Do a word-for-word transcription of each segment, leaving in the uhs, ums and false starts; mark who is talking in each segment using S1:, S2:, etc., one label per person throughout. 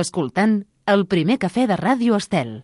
S1: Escoltant el primer cafè de Ràdio Estel.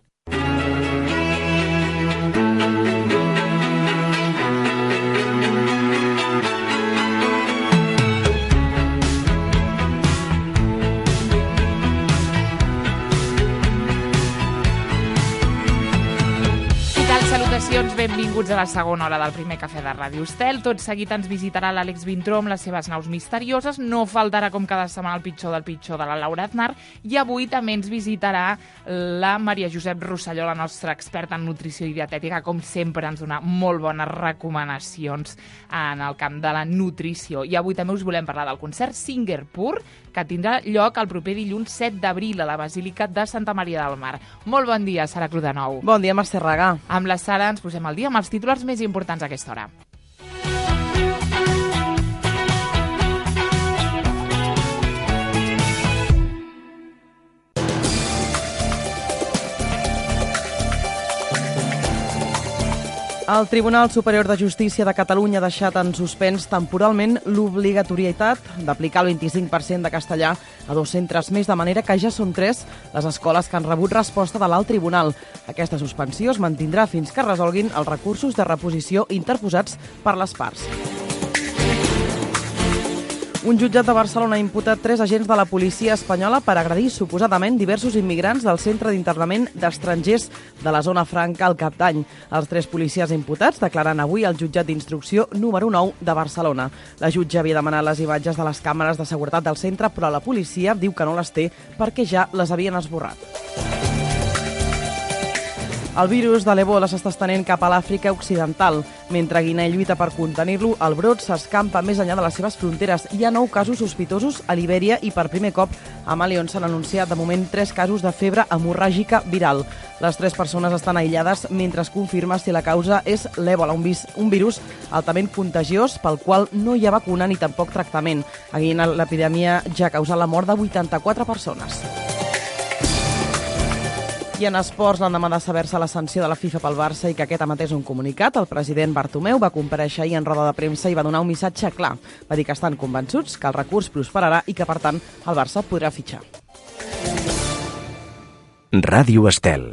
S2: Salutacions, benvinguts a la segona hora del primer cafè de Ràdio Estel. Tot seguit ens visitarà l'Àlex Vintró amb les seves naus misterioses. No faltarà, com cada setmana, el pitjor del pitjor de la Laura Aznar. I avui també ens visitarà la Maria Josep Rosselló, la nostra experta en nutrició i dietètica. Com sempre, ens dona molt bones recomanacions en el camp de la nutrició. I avui també us volem parlar del concert Singapur, que tindrà lloc el proper dilluns set d'abril a la Basílica de Santa Maria del Mar. Molt bon dia, Sara Crudenou.
S3: Bon dia, Mercè Regà.
S2: Amb la Sara ens posem al dia amb els titulars més importants a aquesta hora.
S3: El Tribunal Superior de Justícia de Catalunya ha deixat en suspens temporalment l'obligatorietat d'aplicar el vint-i-cinc per cent de castellà a dos centres més, de manera que ja són tres les escoles que han rebut resposta de l'alt tribunal. Aquesta suspensió es mantindrà fins que resolguin els recursos de reposició interposats per les parts. Un jutjat de Barcelona ha imputat tres agents de la policia espanyola per agredir suposadament diversos immigrants del centre d'internament d'estrangers de la zona franca al Cap d'Any. Els tres policies imputats declaren avui al jutjat d'instrucció número nou de Barcelona. La jutge havia demanat les imatges de les càmeres de seguretat del centre, però la policia diu que no les té perquè ja les havien esborrat. El virus de l'Ebola s'està estenent cap a l'Àfrica Occidental. Mentre Guinea lluita per contenir-lo, el brot s'escampa més enllà de les seves fronteres. Hi ha nou casos sospitosos a Libèria i per primer cop a Mali, on s'han anunciat de moment tres casos de febre hemorràgica viral. Les tres persones estan aïllades mentre es confirma si la causa és l'Ebola, un, vis, un virus altament contagiós pel qual no hi ha vacuna ni tampoc tractament. A Guinea l'epidèmia ja ha causat la mort de vuitanta-quatre persones. I en esports, l'endemà de saber-se la sanció de la FIFA pel Barça i que aquest emetés un comunicat, el president Bartomeu va comparèixer ahir en roda de premsa i va donar un missatge clar. Va dir que estan convençuts que el recurs prosperarà i que, per tant, el Barça podrà fitxar.
S4: Ràdio Estel.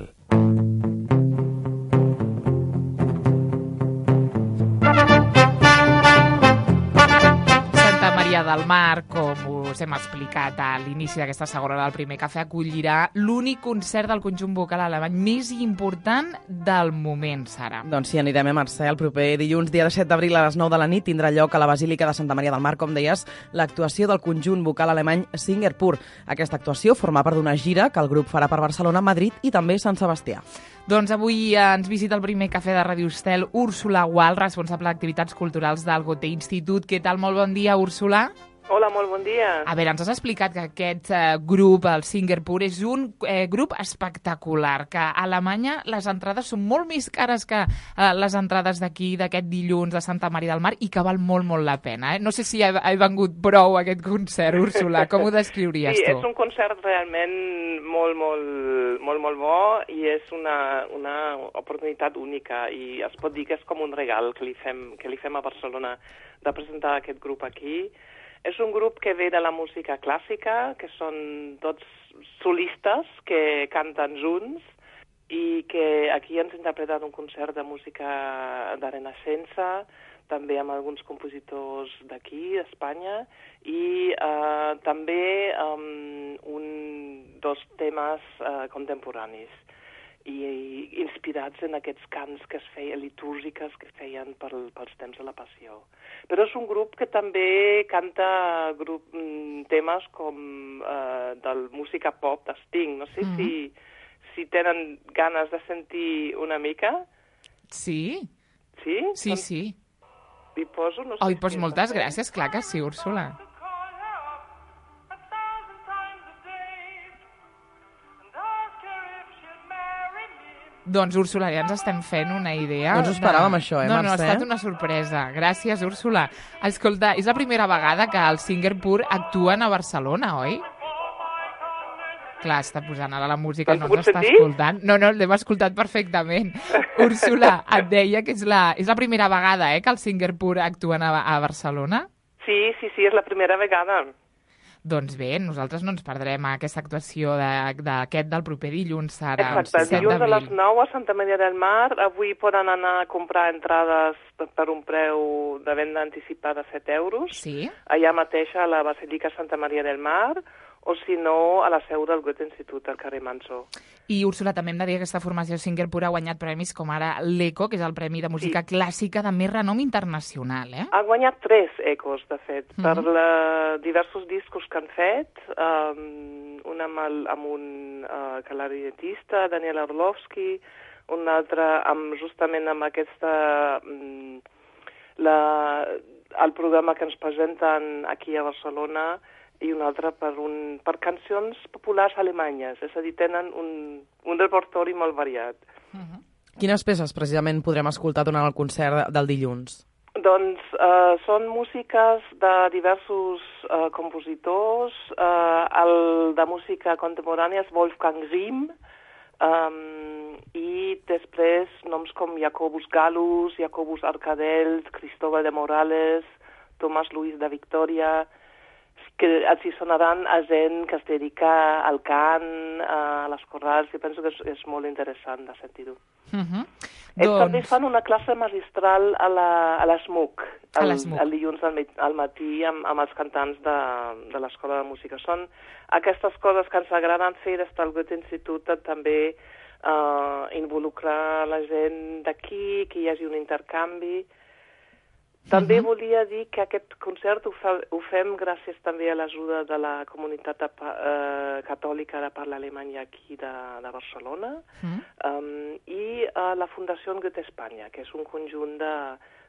S2: Del Mar, com us hem explicat a l'inici d'aquesta segona hora del primer cafè, acollirà l'únic concert del conjunt vocal alemany més important del moment, Sara.
S3: Doncs sí, anirem a Mercè. El proper dilluns, dia set d'abril, a les nou de la nit, tindrà lloc a la Basílica de Santa Maria del Mar, com deies, l'actuació del conjunt vocal alemany Singapur. Aquesta actuació forma part d'una gira que el grup farà per Barcelona, Madrid i també Sant Sebastià.
S2: Doncs avui ens visita el primer cafè de Ràdio Estel Úrsula Gual, responsable d'activitats culturals del Goethe Institut. Què tal? Molt bon dia, Úrsula.
S5: Hola, molt bon dia.
S2: A veure, ens has explicat que aquest eh, grup, el Singapur, és un eh, grup espectacular, que a Alemanya les entrades són molt més cares que eh, les entrades d'aquí, d'aquest dilluns de Santa Maria del Mar, i que val molt, molt la pena. Eh? No sé si ha, ha vengut prou aquest concert, Úrsula. Com ho descriuries
S5: sí,
S2: tu?
S5: Sí, és un concert realment molt, molt, molt, molt bo i és una, una oportunitat única i es pot dir que és com un regal que li fem, que li fem a Barcelona de presentar aquest grup aquí. És un grup que ve de la música clàssica, que són tots solistes que canten junts i que aquí ens ha interpretat un concert de música de Renaixença, també amb alguns compositors d'aquí, d'Espanya, i eh, també um, un, dos temes eh, contemporanis i, i inspirats en aquests cants que es feien, litúrgiques que feien per, pels temps de la Passió. Però és un grup que també canta grup, temes com eh, del música pop de Sting. No sé mm-hmm. si, si tenen ganes de sentir una mica.
S2: Sí.
S5: Sí?
S2: Sí, doncs sí.
S5: Hi poso? No sé
S2: Oi,
S5: si
S2: doncs moltes gràcies, clar que sí, Úrsula. Doncs, Úrsula, ja ens estem fent una idea.
S3: No ens ho esperàvem, de... això, eh,
S2: No,
S3: Mercè?
S2: no, ha estat una sorpresa. Gràcies, Úrsula. Escolta, és la primera vegada que el Singapur actuen a Barcelona, oi? Clar, està posant ara la música, no ens està escoltant. No, no, l'hem escoltat perfectament. Úrsula, et deia que és la, és la primera vegada eh, que el Singapur actuen a, a Barcelona?
S5: Sí, sí, sí, és la primera vegada.
S2: Doncs bé, nosaltres no ens perdrem aquesta actuació d'aquest del proper dilluns, Sara.
S5: Exacte, dilluns a les nou a Santa Maria del Mar. Avui poden anar a comprar entrades per un preu de venda anticipada de set euros.
S2: Sí.
S5: Allà mateix a la Basílica Santa Maria del Mar, o si no, a la seu del Goethe Institut, al carrer Manso.
S2: I, Úrsula, també hem de dir que aquesta formació Singer Pur ha guanyat premis com ara l'Eco, que és el Premi de Música sí. Clàssica de més renom internacional, eh?
S5: Ha guanyat tres Ecos, de fet, mm -hmm. per la, diversos discos que han fet, um, un amb, el, amb un uh, clarinetista, Daniel Orlovsky, un altre amb, justament amb aquesta... Um, la, el programa que ens presenten aquí a Barcelona, i un altre per, un, per cancions populars alemanyes, és a dir, tenen un, un repertori molt variat.
S3: Uh-huh. Quines peces precisament podrem escoltar durant el concert del dilluns?
S5: Doncs uh, són músiques de diversos uh, compositors, uh, el de música contemporània és Wolfgang Rihm, um, i després noms com Jacobus Gallus, Jacobus Arcadels, Cristóbal de Morales, Tomàs Luis de Victòria, que els hi sonaran a gent que es dedica al cant, a les corrals, i penso que és, és molt interessant de sentir-ho.
S2: Uh-huh.
S5: Ells
S2: doncs...
S5: també fan una classe magistral a la, a l'ESMUC, el, el dilluns al, al matí amb, amb els cantants de, de l'Escola de Música. Són aquestes coses que ens agraden fer des del Goethe Institut, també uh, involucrar la gent d'aquí, que hi hagi un intercanvi. També uh-huh. volia dir que aquest concert ho, fa, ho fem gràcies també a l'ajuda de la comunitat de, uh, catòlica de parla alemanya aquí de, de Barcelona uh-huh. um, i a la Fundació Goethe Espanya, que és un conjunt de,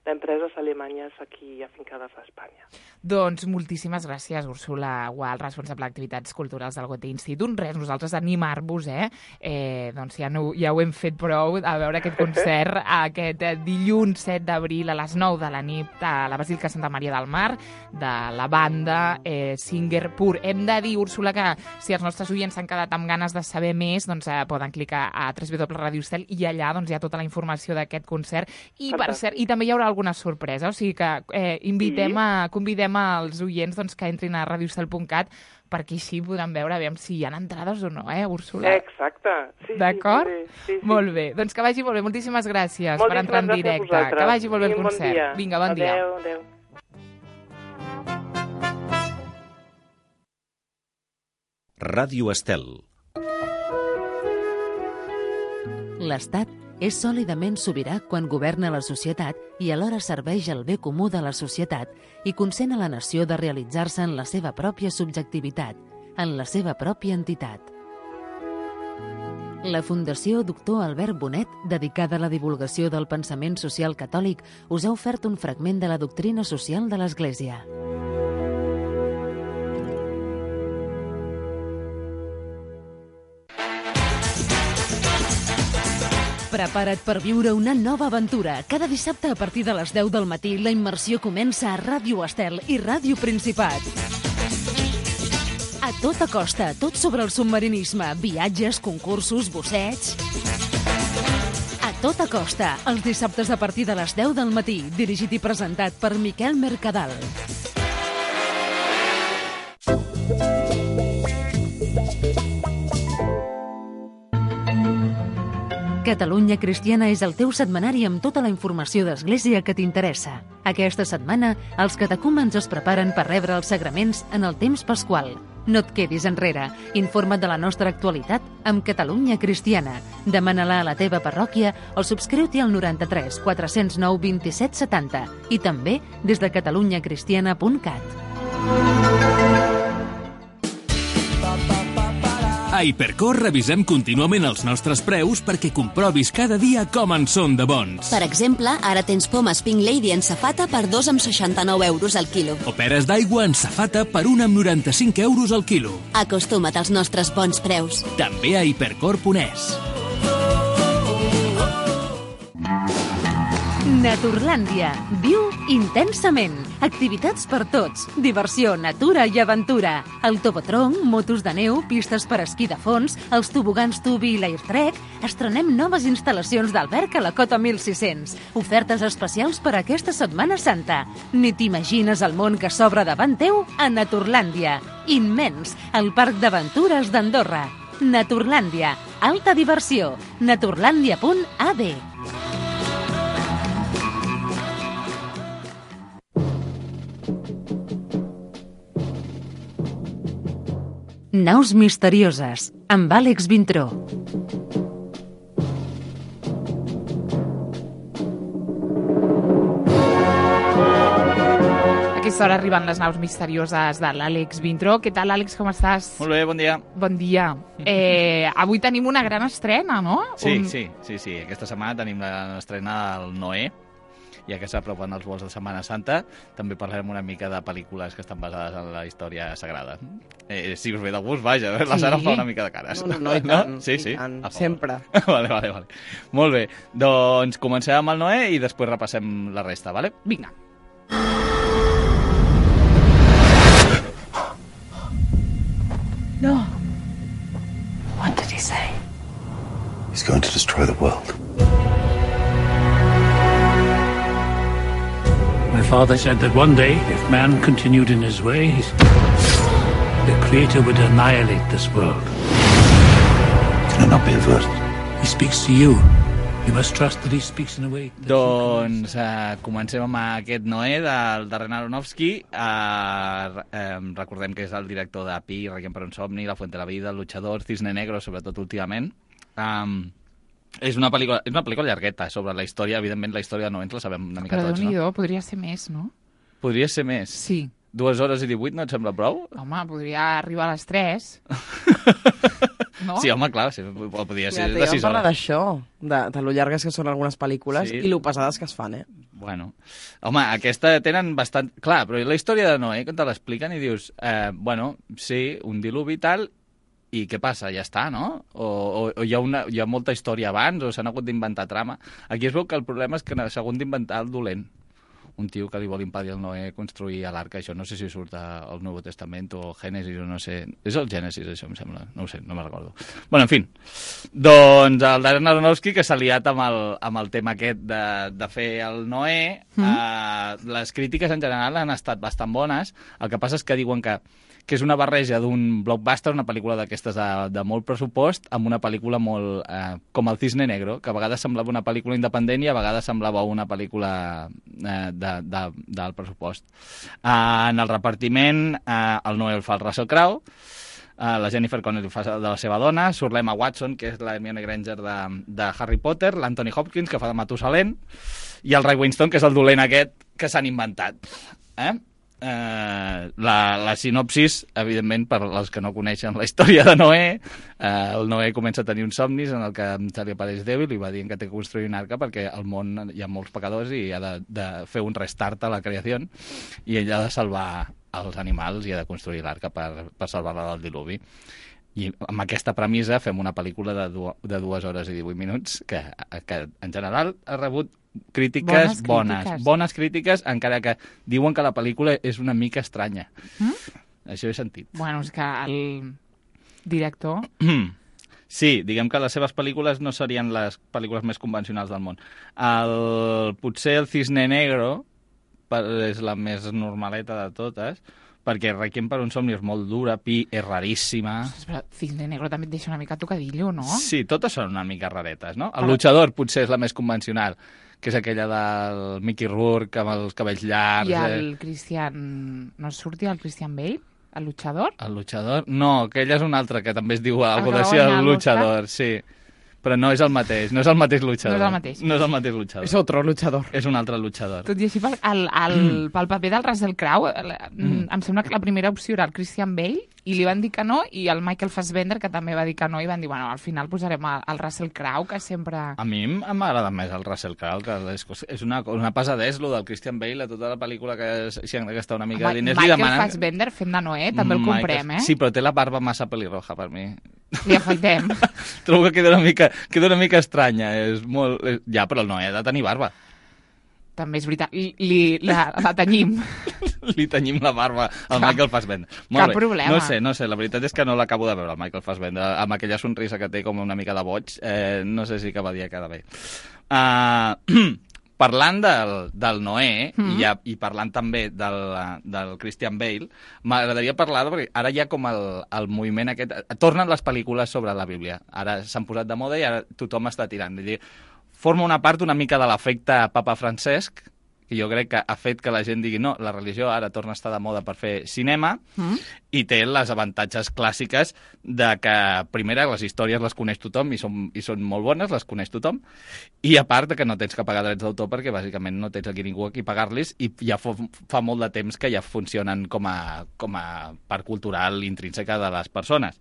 S5: d'empreses alemanyes aquí afincades a Espanya.
S2: Doncs moltíssimes gràcies, Úrsula Gual, responsable d'activitats culturals del Goethe Institut. Res, nosaltres animar-vos, eh? eh doncs ja, no, ja ho hem fet prou, a veure aquest concert aquest dilluns set d'abril a les nou de la nit a la Basílica Santa Maria del Mar, de la banda eh, Singer Pur. Hem de dir, Úrsula, que si els nostres oients s'han quedat amb ganes de saber més, doncs eh, poden clicar a w w w punt radio estel i allà doncs, hi ha tota la informació d'aquest concert. I, per cert, i també hi haurà alguna sorpresa, o sigui que eh, invitem sí. a, convidem als oients doncs, que entrin a radio estel punt cat perquè així podran veure aviam si hi ha entrades o no, eh, Úrsula?
S5: Exacte. Sí,
S2: d'acord?
S5: Sí, sí, sí.
S2: Molt bé. Doncs que vagi molt bé. Moltíssimes gràcies
S5: Moltíssimes
S2: per entrar en directe. Que vagi molt bé el concert.
S5: Bon dia.
S2: Vinga, bon dia.
S5: Adéu, adéu.
S4: Ràdio Estel.
S1: L'Estat és sòlidament sobirà quan governa la societat i alhora serveix el bé comú de la societat i consent a la nació de realitzar-se en la seva pròpia subjectivitat, en la seva pròpia entitat. La Fundació Doctor Albert Bonet, dedicada a la divulgació del pensament social catòlic, us ha ofert un fragment de la doctrina social de l'Església. Prepara't per viure una nova aventura. Cada dissabte a partir de les deu del matí la immersió comença a Ràdio Estel i Ràdio Principat. A tota costa, tot sobre el submarinisme, viatges, concursos, bussets... A tota costa, els dissabtes a partir de les deu del matí, dirigit i presentat per Miquel Mercadal. Catalunya Cristiana és el teu setmanari amb tota la informació d'Església que t'interessa. Aquesta setmana, els catecúmens es preparen per rebre els sagraments en el temps pasqual. No et quedis enrere. Informa't de la nostra actualitat amb Catalunya Cristiana. Demana-la a la teva parròquia o subscriu-t'hi al noranta-tres quatre zero nou vint-i-set setanta i també des de catalunya cristiana punt cat.
S6: A Hipercor revisem contínuament els nostres preus perquè comprovis cada dia com en són de bons.
S7: Per exemple, ara tens pomes Pink Lady en safata per dos amb seixanta-nou euros al quilo.
S6: O peres d'aigua en safata per un amb noranta-cinc euros al quilo.
S7: Acostuma't als nostres bons preus.
S6: També a hipercor punt es.
S1: Naturlàndia. Viu intensament. Activitats per tots, diversió, natura i aventura. El tobotron, motos de neu, pistes per esquí de fons, els tobogans tubi i l'Airtrek. Estrenem noves instal·lacions d'alberg a la Cota mil sis-cents. Ofertes especials per a aquesta Setmana Santa. Ni t'imagines el món que s'obre davant teu a Naturlàndia. Immens, el parc d'aventures d'Andorra. Naturlàndia, alta diversió. naturlàndia punt a d. Naus misterioses, amb Àlex Vintró.
S2: A aquesta hora arriben les naus misterioses de l'Àlex Vintró. Què tal, Àlex, com estàs?
S8: Molt bé, bon dia.
S2: Bon dia. Eh, avui tenim una gran estrena, no?
S8: Sí,
S2: Un...
S8: sí, sí, sí. Aquesta setmana tenim l'estrena del Noé, ja que s'apropen els vols de Setmana Santa. També parlarem una mica de pel·lícules que estan basades en la història sagrada. Eh, si us ve de gust, vaja, la Sara fa una mica de cares.
S3: No, no, no i tant,
S8: no? Sí,
S3: i
S8: sí,
S3: tant,
S8: a favor.
S3: sempre.
S8: Vale, vale, vale. Molt bé, doncs comencem amb el Noé i després repassem la resta, vale?
S2: Vinga.
S9: No. What did he say?
S10: He's going to destroy the world.
S11: My father said that one day, if man continued in his ways, the Creator would annihilate this world.
S10: Can it not be averted?
S11: He speaks to you. You must trust that he speaks in a way...
S8: Doncs uh, comencem amb aquest Noé del Darren Aronofsky. Uh, um, recordem que és el director de Pi, Requiem per un somni, La fuente de la vida, El luchador, Cisne negro, sobretot últimament. Um, és una pel·lícula, és una pel·lícula llargueta sobre la història. Evidentment, la història de Noé ens la sabem una mica
S2: Però
S8: tots, no?
S2: Déu-n'hi-do, podria ser més, no?
S8: Podria ser més?
S2: Sí.
S8: Dues hores i divuit no et sembla prou?
S2: Home, podria arribar a les tres. No?
S8: Sí, home, clar, sí, podria ser
S3: Mira,
S8: de sis
S3: vam parlar
S8: hores.
S3: d'això, de, de lo llargues que són algunes pel·lícules
S8: Sí.
S3: i lo pesades que es fan, eh?
S8: Bueno, home, aquesta tenen bastant... Clar, però la història de Noé, que te l'expliquen i dius, eh, bueno, sí, un diluvi i tal, i què passa? Ja està, no? O, o, o hi, ha una, hi ha molta història abans, o s'han hagut d'inventar trama. Aquí es veu que el problema és que s'ha hagut d'inventar el dolent. Un tio que li vol impedir al Noé construir l'arca, això no sé si surt al Nou Testament o Gènesis, o no sé... És el Gènesis, això, em sembla. No ho sé, no me'n recordo. Bueno, en fi. Doncs el Darren Aronofsky, que s'ha liat amb el, amb el tema aquest de, de fer el Noé, mm. eh, les crítiques en general han estat bastant bones. El que passa és que diuen que que és una barreja d'un blockbuster, una pel·lícula d'aquestes de, de molt pressupost, amb una pel·lícula molt... Eh, com el Cisne Negro, que a vegades semblava una pel·lícula independent i a vegades semblava una pel·lícula eh, de, de, del pressupost. Eh, en el repartiment, eh, el Noé el fa el Russell Crowe, eh, la Jennifer Connelly fa de la seva dona, surt l'Emma Watson, que és la Hermione Granger de, de Harry Potter, l'Anthony Hopkins, que fa de Matusalén, i el Ray Winstone, que és el dolent aquest que s'han inventat. Eh? Eh, la, la sinopsis, evidentment, per als que no coneixen la història de Noé, eh, el Noé comença a tenir uns somnis en el que se li apareix Déu i li va dient que té que construir una arca perquè al món hi ha molts pecadors i ha de, de fer un restart a la creació i ell ha de salvar els animals i ha de construir l'arca per, per salvar-la del diluvi. I amb aquesta premissa fem una pel·lícula de, du de dues hores i divuit minuts que, que en general ha rebut crítiques bones, bones, crítiques. bones crítiques, encara que diuen que la pel·lícula és una mica estranya. Mm? Això he sentit.
S2: Bueno, és que el director...
S8: Sí, diguem que les seves pel·lícules no serien les pel·lícules més convencionals del món. El, potser el Cisne Negro és la més normaleta de totes, perquè Requiem per un somni és molt dura, Pi és raríssima...
S2: Però Cisne Negro també et deixa una mica tocadillo, no?
S8: Sí, totes són una mica raretes, no? El Però... Luchador potser és la més convencional, que és aquella del Mickey Rourke amb els cabells llargs...
S2: I el eh... Christian... No sortia el Christian Bale? El Luchador?
S8: El Luchador? No, aquella és una altra que també es diu algo d'així, el Luchador, sí. Però no és el mateix, no és el mateix luchador.
S2: No és el mateix.
S8: No és el mateix luchador.
S3: És otro luchador.
S8: És un altre luchador.
S2: Tot i així, pel, el, el, mm. pel paper del Russell Crowe, mm. em sembla que la primera opció era el Christian Bale, i li van dir que no, i el Michael Fassbender, que també va dir que no, i van dir, bueno, al final posarem el, el Russell Crowe, que sempre...
S8: A mi m'agrada més el Russell Crowe, que és, és una, una pesadès, lo del Christian Bale, a tota la pel·lícula que si han de gastar una mica de diners...
S2: Michael
S8: demanen...
S2: Fassbender fent de Noé, també el
S8: Michael...
S2: comprem, eh?
S8: Sí, però té la barba massa pelirroja, per mi.
S2: Li afaitem.
S8: Trobo que queda una mica, queda una mica estranya. És molt... Ja, però el Noé ha de tenir barba.
S2: també és veritat. Li, li, la, la tenyim.
S8: Li tenyim la barba al Michael Fassbender. Molt
S2: Cap
S8: bé.
S2: problema.
S8: No sé, no sé, la veritat és que no l'acabo de veure, el Michael Fassbender, amb aquella sonrisa que té com una mica de boig. Eh, no sé si cada dia queda bé. Uh, parlant del, del Noé, mm. i, ja, i parlant també del, del Christian Bale, m'agradaria parlar, perquè ara hi ha com el, el moviment aquest... Tornen les pel·lícules sobre la Bíblia. Ara s'han posat de moda i ara tothom està tirant. Dir, forma una part una mica de l'efecte Papa Francesc, que jo crec que ha fet que la gent digui no, la religió ara torna a estar de moda per fer cinema, mm. i té les avantatges clàssiques de que, primera, les històries les coneix tothom i són, i són molt bones, les coneix tothom, i a part de que no tens que pagar drets d'autor perquè bàsicament no tens aquí ningú aquí pagar-los i ja fa, fa molt de temps que ja funcionen com a, com a part cultural intrínseca de les persones.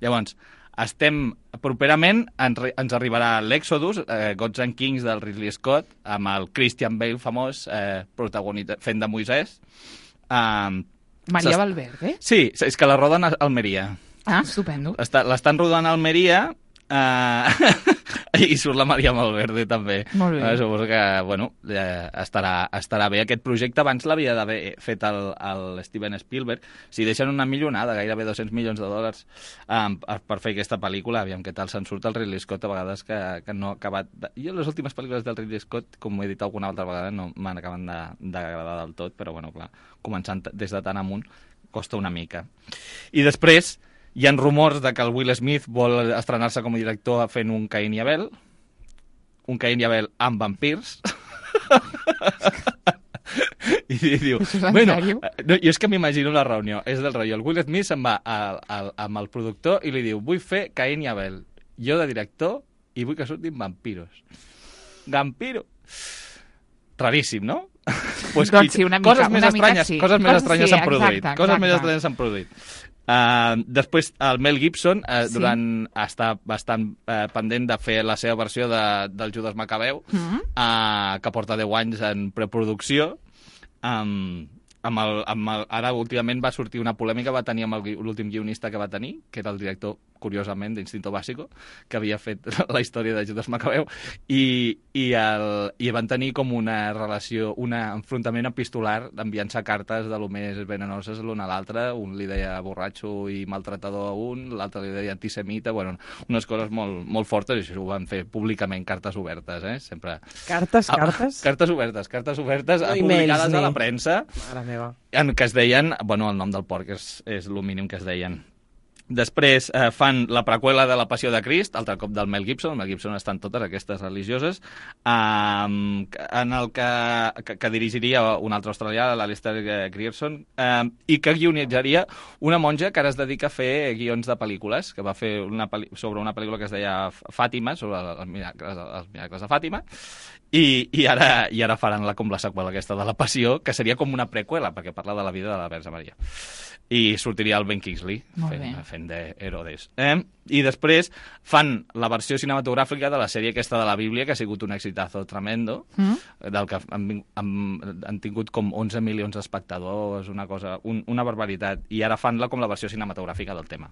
S8: Llavors, estem, properament ens, ens arribarà l'Exodus, eh, Gods and Kings del Ridley Scott, amb el Christian Bale famós, eh, protagonista, fent de Moisès. Um,
S2: Maria Valverde?
S8: Sí, és que la roden a Almeria.
S2: Ah, estupendo.
S8: L'estan rodant a Almeria uh, i surt la Maria Valverde també.
S2: Molt bé.
S8: Uh, suposo que, bueno, eh, estarà, estarà bé. Aquest projecte abans l'havia d'haver fet el, el Steven Spielberg. Si deixen una milionada, gairebé dos-cents milions de dòlars um, per fer aquesta pel·lícula, aviam què tal se'n surt el Ridley Scott, a vegades que, que no ha acabat... De... Jo les últimes pel·lícules del Ridley Scott, com ho he dit alguna altra vegada, no m'han acabat d'agradar del tot, però bueno, clar, començant des de tan amunt, costa una mica. I després hi ha rumors de que el Will Smith vol estrenar-se com a director fent un Caín i Abel, un Caín i Abel amb vampirs. I, i diu, bueno, no, jo és que m'imagino la reunió, és del rotllo, el Will Smith se'n va a, a, amb el productor i li diu, vull fer Caín i Abel, jo de director i vull que surtin vampiros. Vampiro. Raríssim, no? Pues,
S2: doncs sí, una mica,
S8: coses més
S2: una
S8: estranyes,
S2: sí.
S8: coses més estranyes
S2: sí,
S8: s'han produït.
S2: Exacte,
S8: coses
S2: exacte.
S8: més estranyes s'han produït. Uh, després, el Mel Gibson uh,
S2: sí.
S8: durant està bastant uh, pendent de fer la seva versió de, del Judas Macabeu, mm -hmm. uh, que porta deu anys en preproducció. Um, amb el, amb el, ara, últimament, va sortir una polèmica, va tenir amb l'últim guionista que va tenir, que era el director, curiosament, d'Instinto Básico, que havia fet la història de Judas Macabeu, i, i, el, i van tenir com una relació, un enfrontament epistolar, enviant-se cartes de lo més venenoses l'un a l'altre, un li deia borratxo i maltratador a un, l'altre li deia antisemita, bueno, unes coses molt, molt fortes, i això ho van fer públicament, cartes obertes, eh? Sempre...
S3: Cartes, cartes?
S8: Ah, cartes obertes, cartes obertes,
S3: no
S8: publicades
S3: emails,
S8: a la premsa,
S3: mare meva.
S8: en què es deien, bueno, el nom del porc és, és el mínim que es deien. Després eh, fan la preqüela de La Passió de Crist, altre cop del Mel Gibson. El Mel Gibson està en totes aquestes religioses, eh, en el que, que, que dirigiria un altre australià, l'Alistair Grierson, eh, i que guionitzaria una monja que ara es dedica a fer guions de pel·lícules, que va fer una sobre una pel·lícula que es deia Fàtima, sobre els miracles, els miracles de Fàtima, i, i, ara, i ara faran la, com la seqüela aquesta de La Passió, que seria com una preqüela, perquè parla de la vida de la Verge Maria. I sortiria el Ben Kingsley fent, fent d'Herodes. Eh? I després fan la versió cinematogràfica de la sèrie aquesta de la Bíblia, que ha sigut un exitazo tremendo, mm. del que han, han, han tingut com onze milions d'espectadors, una cosa, un, una barbaritat, i ara fan-la com la versió cinematogràfica del tema.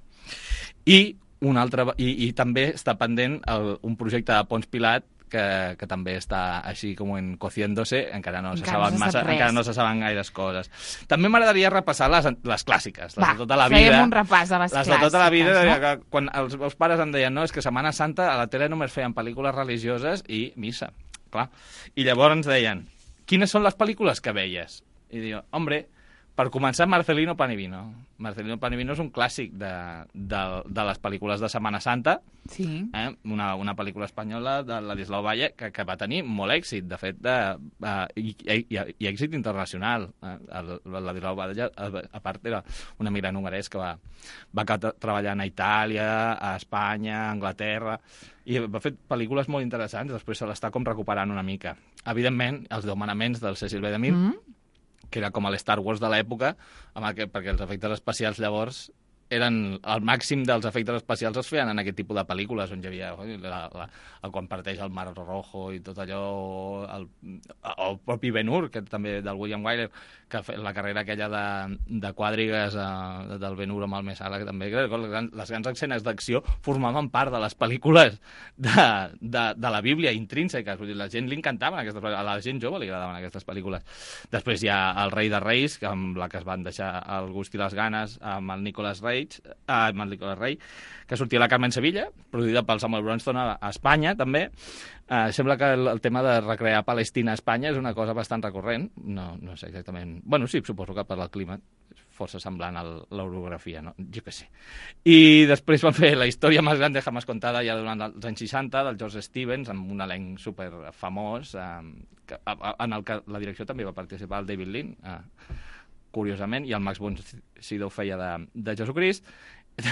S8: I, un altre, i, i també està pendent el, un projecte de Pons Pilat, que, que també està així com en cociéndose, encara no, encara, se saben no massa, encara no se saben gaires coses. També m'agradaria repassar les, les clàssiques, les
S2: Va,
S8: de tota la vida.
S2: fèiem un repàs de les,
S8: les
S2: clàssiques.
S8: de tota la vida,
S2: no?
S8: que quan els meus pares em deien no, és que Setmana Santa a la tele només feien pel·lícules religioses i missa, clar. I llavors ens deien, quines són les pel·lícules que veies? I diu, hombre, per començar, Marcelino Pan y Vino. Marcelino Pan y Vino és un clàssic de, de, de les pel·lícules de Setmana Santa,
S2: sí.
S8: eh? una, una pel·lícula espanyola de Ladislau Valle que, que va tenir molt èxit, de fet, de, uh, i, i, i èxit internacional. Eh? El, el Ladislau Valle, a, a part, era un emigrant hongarès que va, va treballar a Itàlia, a Espanya, a Anglaterra, i va fer pel·lícules molt interessants, després se l'està com recuperant una mica. Evidentment, els deu manaments del Cecil B. DeMille, mm -hmm. que era com a l'Star Wars de l'època, perquè els efectes especials llavors eren el màxim dels efectes especials es feien en aquest tipus de pel·lícules on hi havia la, la, la, quan parteix el Mar Rojo i tot allò, el, el propi Ben-Hur, que també del William Wyler, que la carrera aquella de, de quadrigues eh, del Ben-Hur amb el Messala, que també les grans, les grans escenes d'acció formaven part de les pel·lícules de, de, de la Bíblia intrínseques. Vull dir, la gent li encantaven aquestes pel·lícules, a la gent jove li agradaven aquestes pel·lícules. Després hi ha El rei de reis, que amb la que es van deixar el gust i les ganes, amb el Nicolas Rage, Ah, amb el Nicolas Rey, que sortia la Carmen Sevilla, produïda pel Samuel Bronston a, a Espanya, també. Eh, sembla que el, el tema de recrear Palestina a Espanya és una cosa bastant recurrent. No, no sé exactament... Bueno, sí, suposo que per al clima és força semblant a l'orografia, no? Jo què sé. I després van fer La història més gran de jamás contada ja durant els anys seixanta, del George Stevens, amb un elenc super famós, eh, que, en el que la direcció també va participar el David Lean, eh, curiosament, i el Max von Sydow feia de, de Jesucrist.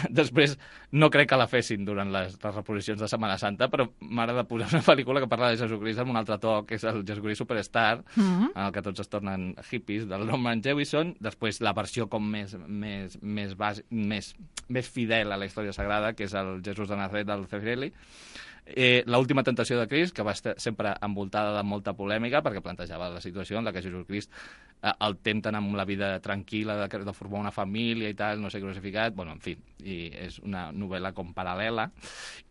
S8: Després no crec que la fessin durant les, les reposicions de Setmana Santa, però m'agrada posar una pel·lícula que parla de Jesucrist amb un altre to, que és el Jesucrist Superstar, mm-hmm. en el que tots es tornen hippies, del Norman Jewison. Després la versió com més, més, més, base, més, més fidel a la història sagrada, que és el Jesús de Nazaret del Zeffirelli. Eh, l'última tentació de Crist, que va estar sempre envoltada de molta polèmica perquè plantejava la situació en la que Jesucrist eh, el tenten amb la vida tranquil·la de, de formar una família i tal, no sé, crucificat, bueno, en fi, i és una novel·la com paral·lela.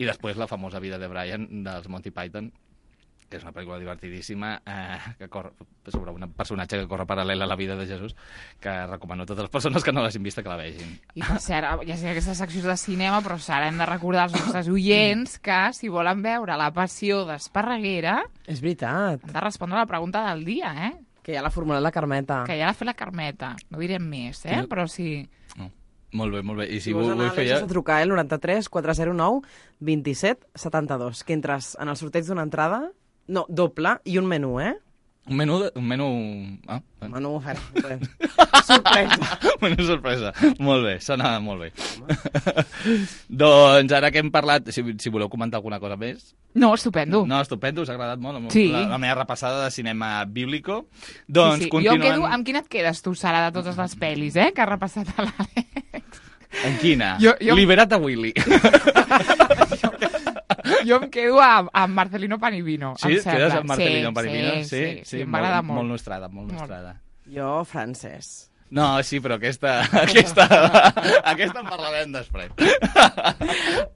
S8: I després la famosa vida de Brian dels Monty Python, que és una pel·lícula divertidíssima eh, que corre sobre un personatge que corre paral·lel a la vida de Jesús, que recomano a totes les persones que no l'hagin vista que la vegin.
S2: I per cert, ja sé que aquestes seccions de cinema, però ara hem de recordar als nostres oients que si volen veure La passió d'Esparreguera...
S3: És veritat.
S2: Han de respondre a la pregunta del dia, eh?
S3: Que ja l'ha formulat la Carmeta.
S2: Que ja l'ha fet la Carmeta. No direm més, eh?
S8: Sí.
S2: Però sí...
S8: No. Molt bé, molt bé. I si,
S3: si vols anar,
S8: vull fer ja...
S3: Àlex, has de trucar al noranta-tres quatre zero nou vint set setanta-dos, que entres en el sorteig d'una entrada, no, doble, i un menú, eh?
S8: Un menú... De, un menú... Ah,
S3: un menú ofert. Sorpresa.
S8: Menú sorpresa. Molt bé, sona molt bé. Doncs ara que hem parlat... Si, si voleu comentar alguna cosa més...
S2: No, estupendo.
S8: No, estupendo, us ha agradat molt
S2: sí.
S8: la, la meva repassada de cinema bíblico. Doncs
S2: sí, sí.
S8: continuem...
S2: Jo quedo... Amb quina et quedes tu, Sara, de totes les pel·lis, eh? Que ha repassat a l'Àlex.
S8: En quina?
S2: Jo, jo...
S8: Liberat a Willy.
S2: Jo em quedo amb, amb Marcelino Panivino.
S8: Sí? Quedes amb Marcelino sí, Panivino?
S2: Sí, sí, sí, sí,
S8: sí
S2: m'agrada molt.
S8: Molt nostrada, molt nostrada.
S3: Jo, francès.
S8: No, sí, però aquesta... Aquesta, aquesta en parlarem després.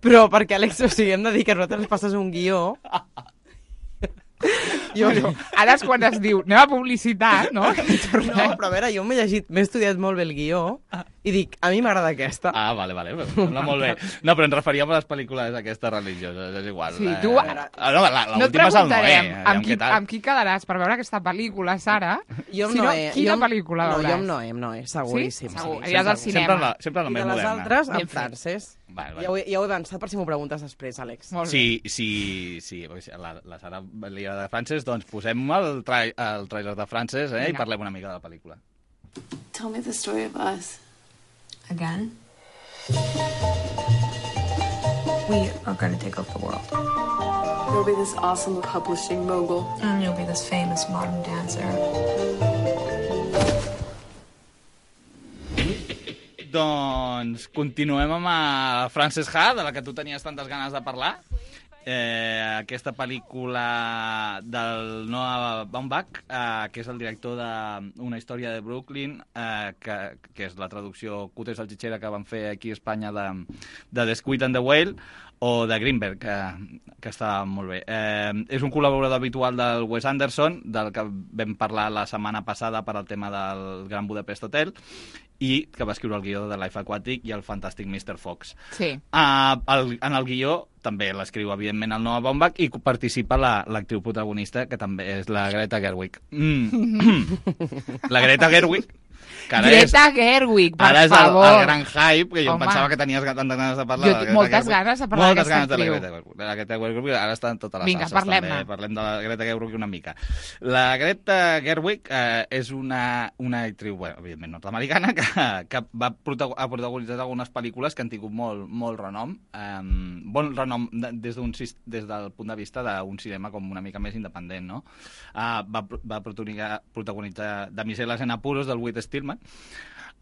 S3: Però perquè, Àlex, o sigui, hem de dir que nosaltres passes un guió...
S2: Jo, no. Ara és quan es diu anem a publicitat, no?
S3: No, però a veure, jo m'he llegit, m'he estudiat molt bé el guió i dic, a mi m'agrada aquesta.
S8: Ah, vale, vale, sembla molt bé. No, però ens referíem a les pel·lícules aquestes religioses, és igual.
S2: Sí, tu ara...
S8: Ah, no, l'última és el Noé.
S2: Amb qui, amb qui quedaràs per veure aquesta pel·lícula, Sara?
S3: Jo amb
S2: si
S3: Noé.
S2: No, quina
S3: jo,
S2: pel·lícula
S3: no,
S2: veuràs?
S3: Jo amb Noé, amb Noé, seguríssim.
S2: Sí? Segur,
S3: sí,
S2: aniràs al cinema.
S8: Sempre la, sempre la més moderna.
S3: I de les altres, amb francès. Vale, vale. Ja, ho he, ja ho he avançat per si m'ho preguntes després, Àlex.
S8: Sí, sí, sí. La, la Sara li agrada de francès, doncs posem el, trai, el trailer de francès eh, i parlem una mica de la pel·lícula.
S12: Tell me the story of us. Again? We are going to take over the world. You'll be this awesome publishing mogul. And you'll be this famous modern dancer.
S8: Doncs continuem amb a Frances Ha, de la que tu tenies tantes ganes de parlar. Eh, aquesta pel·lícula del Noah Baumbach, eh, que és el director d'Una història de Brooklyn, eh, que, que és la traducció cutre i salchichera que van fer aquí a Espanya de, de The Squid and the Whale, o de Greenberg, que, que està molt bé. Eh, és un col·laborador habitual del Wes Anderson, del que vam parlar la setmana passada per al tema del Gran Budapest Hotel, i que va escriure el guió de Life Aquatic i el fantàstic mister Fox.
S2: Sí.
S8: Uh, el, en el guió també l'escriu, evidentment, el Noah Baumbach, i participa la, l'actriu protagonista, que també és la Greta Gerwig. Mm. La Greta Gerwig, que ara
S2: Greta
S8: és,
S2: Gerwig, per
S8: ara és
S2: favor.
S8: el, el gran hype, que jo
S2: Home.
S8: Pensava que tenies tantes ganes de parlar.
S2: Jo
S8: de la
S2: tinc
S8: Greta
S2: moltes
S8: Gerwig.
S2: ganes de parlar
S8: moltes
S2: d'aquesta
S8: ganes
S2: actriu.
S8: de la Greta Gerwig. La Greta Gerwig ara està en totes les
S2: Vinga,
S8: salses.
S2: parlem-ne.
S8: També. Parlem de la Greta Gerwig una mica. La Greta Gerwig eh, és una, una actriu, bueno, evidentment nord-americana, que, que va protago- ha protagonitzat algunes pel·lícules que han tingut molt, molt renom. Eh, bon renom de, des, d'un, des del punt de vista d'un cinema com una mica més independent, no? Eh, va, va protagonitzar, protagonitzar Damiselas en apuros del Whit Stillman,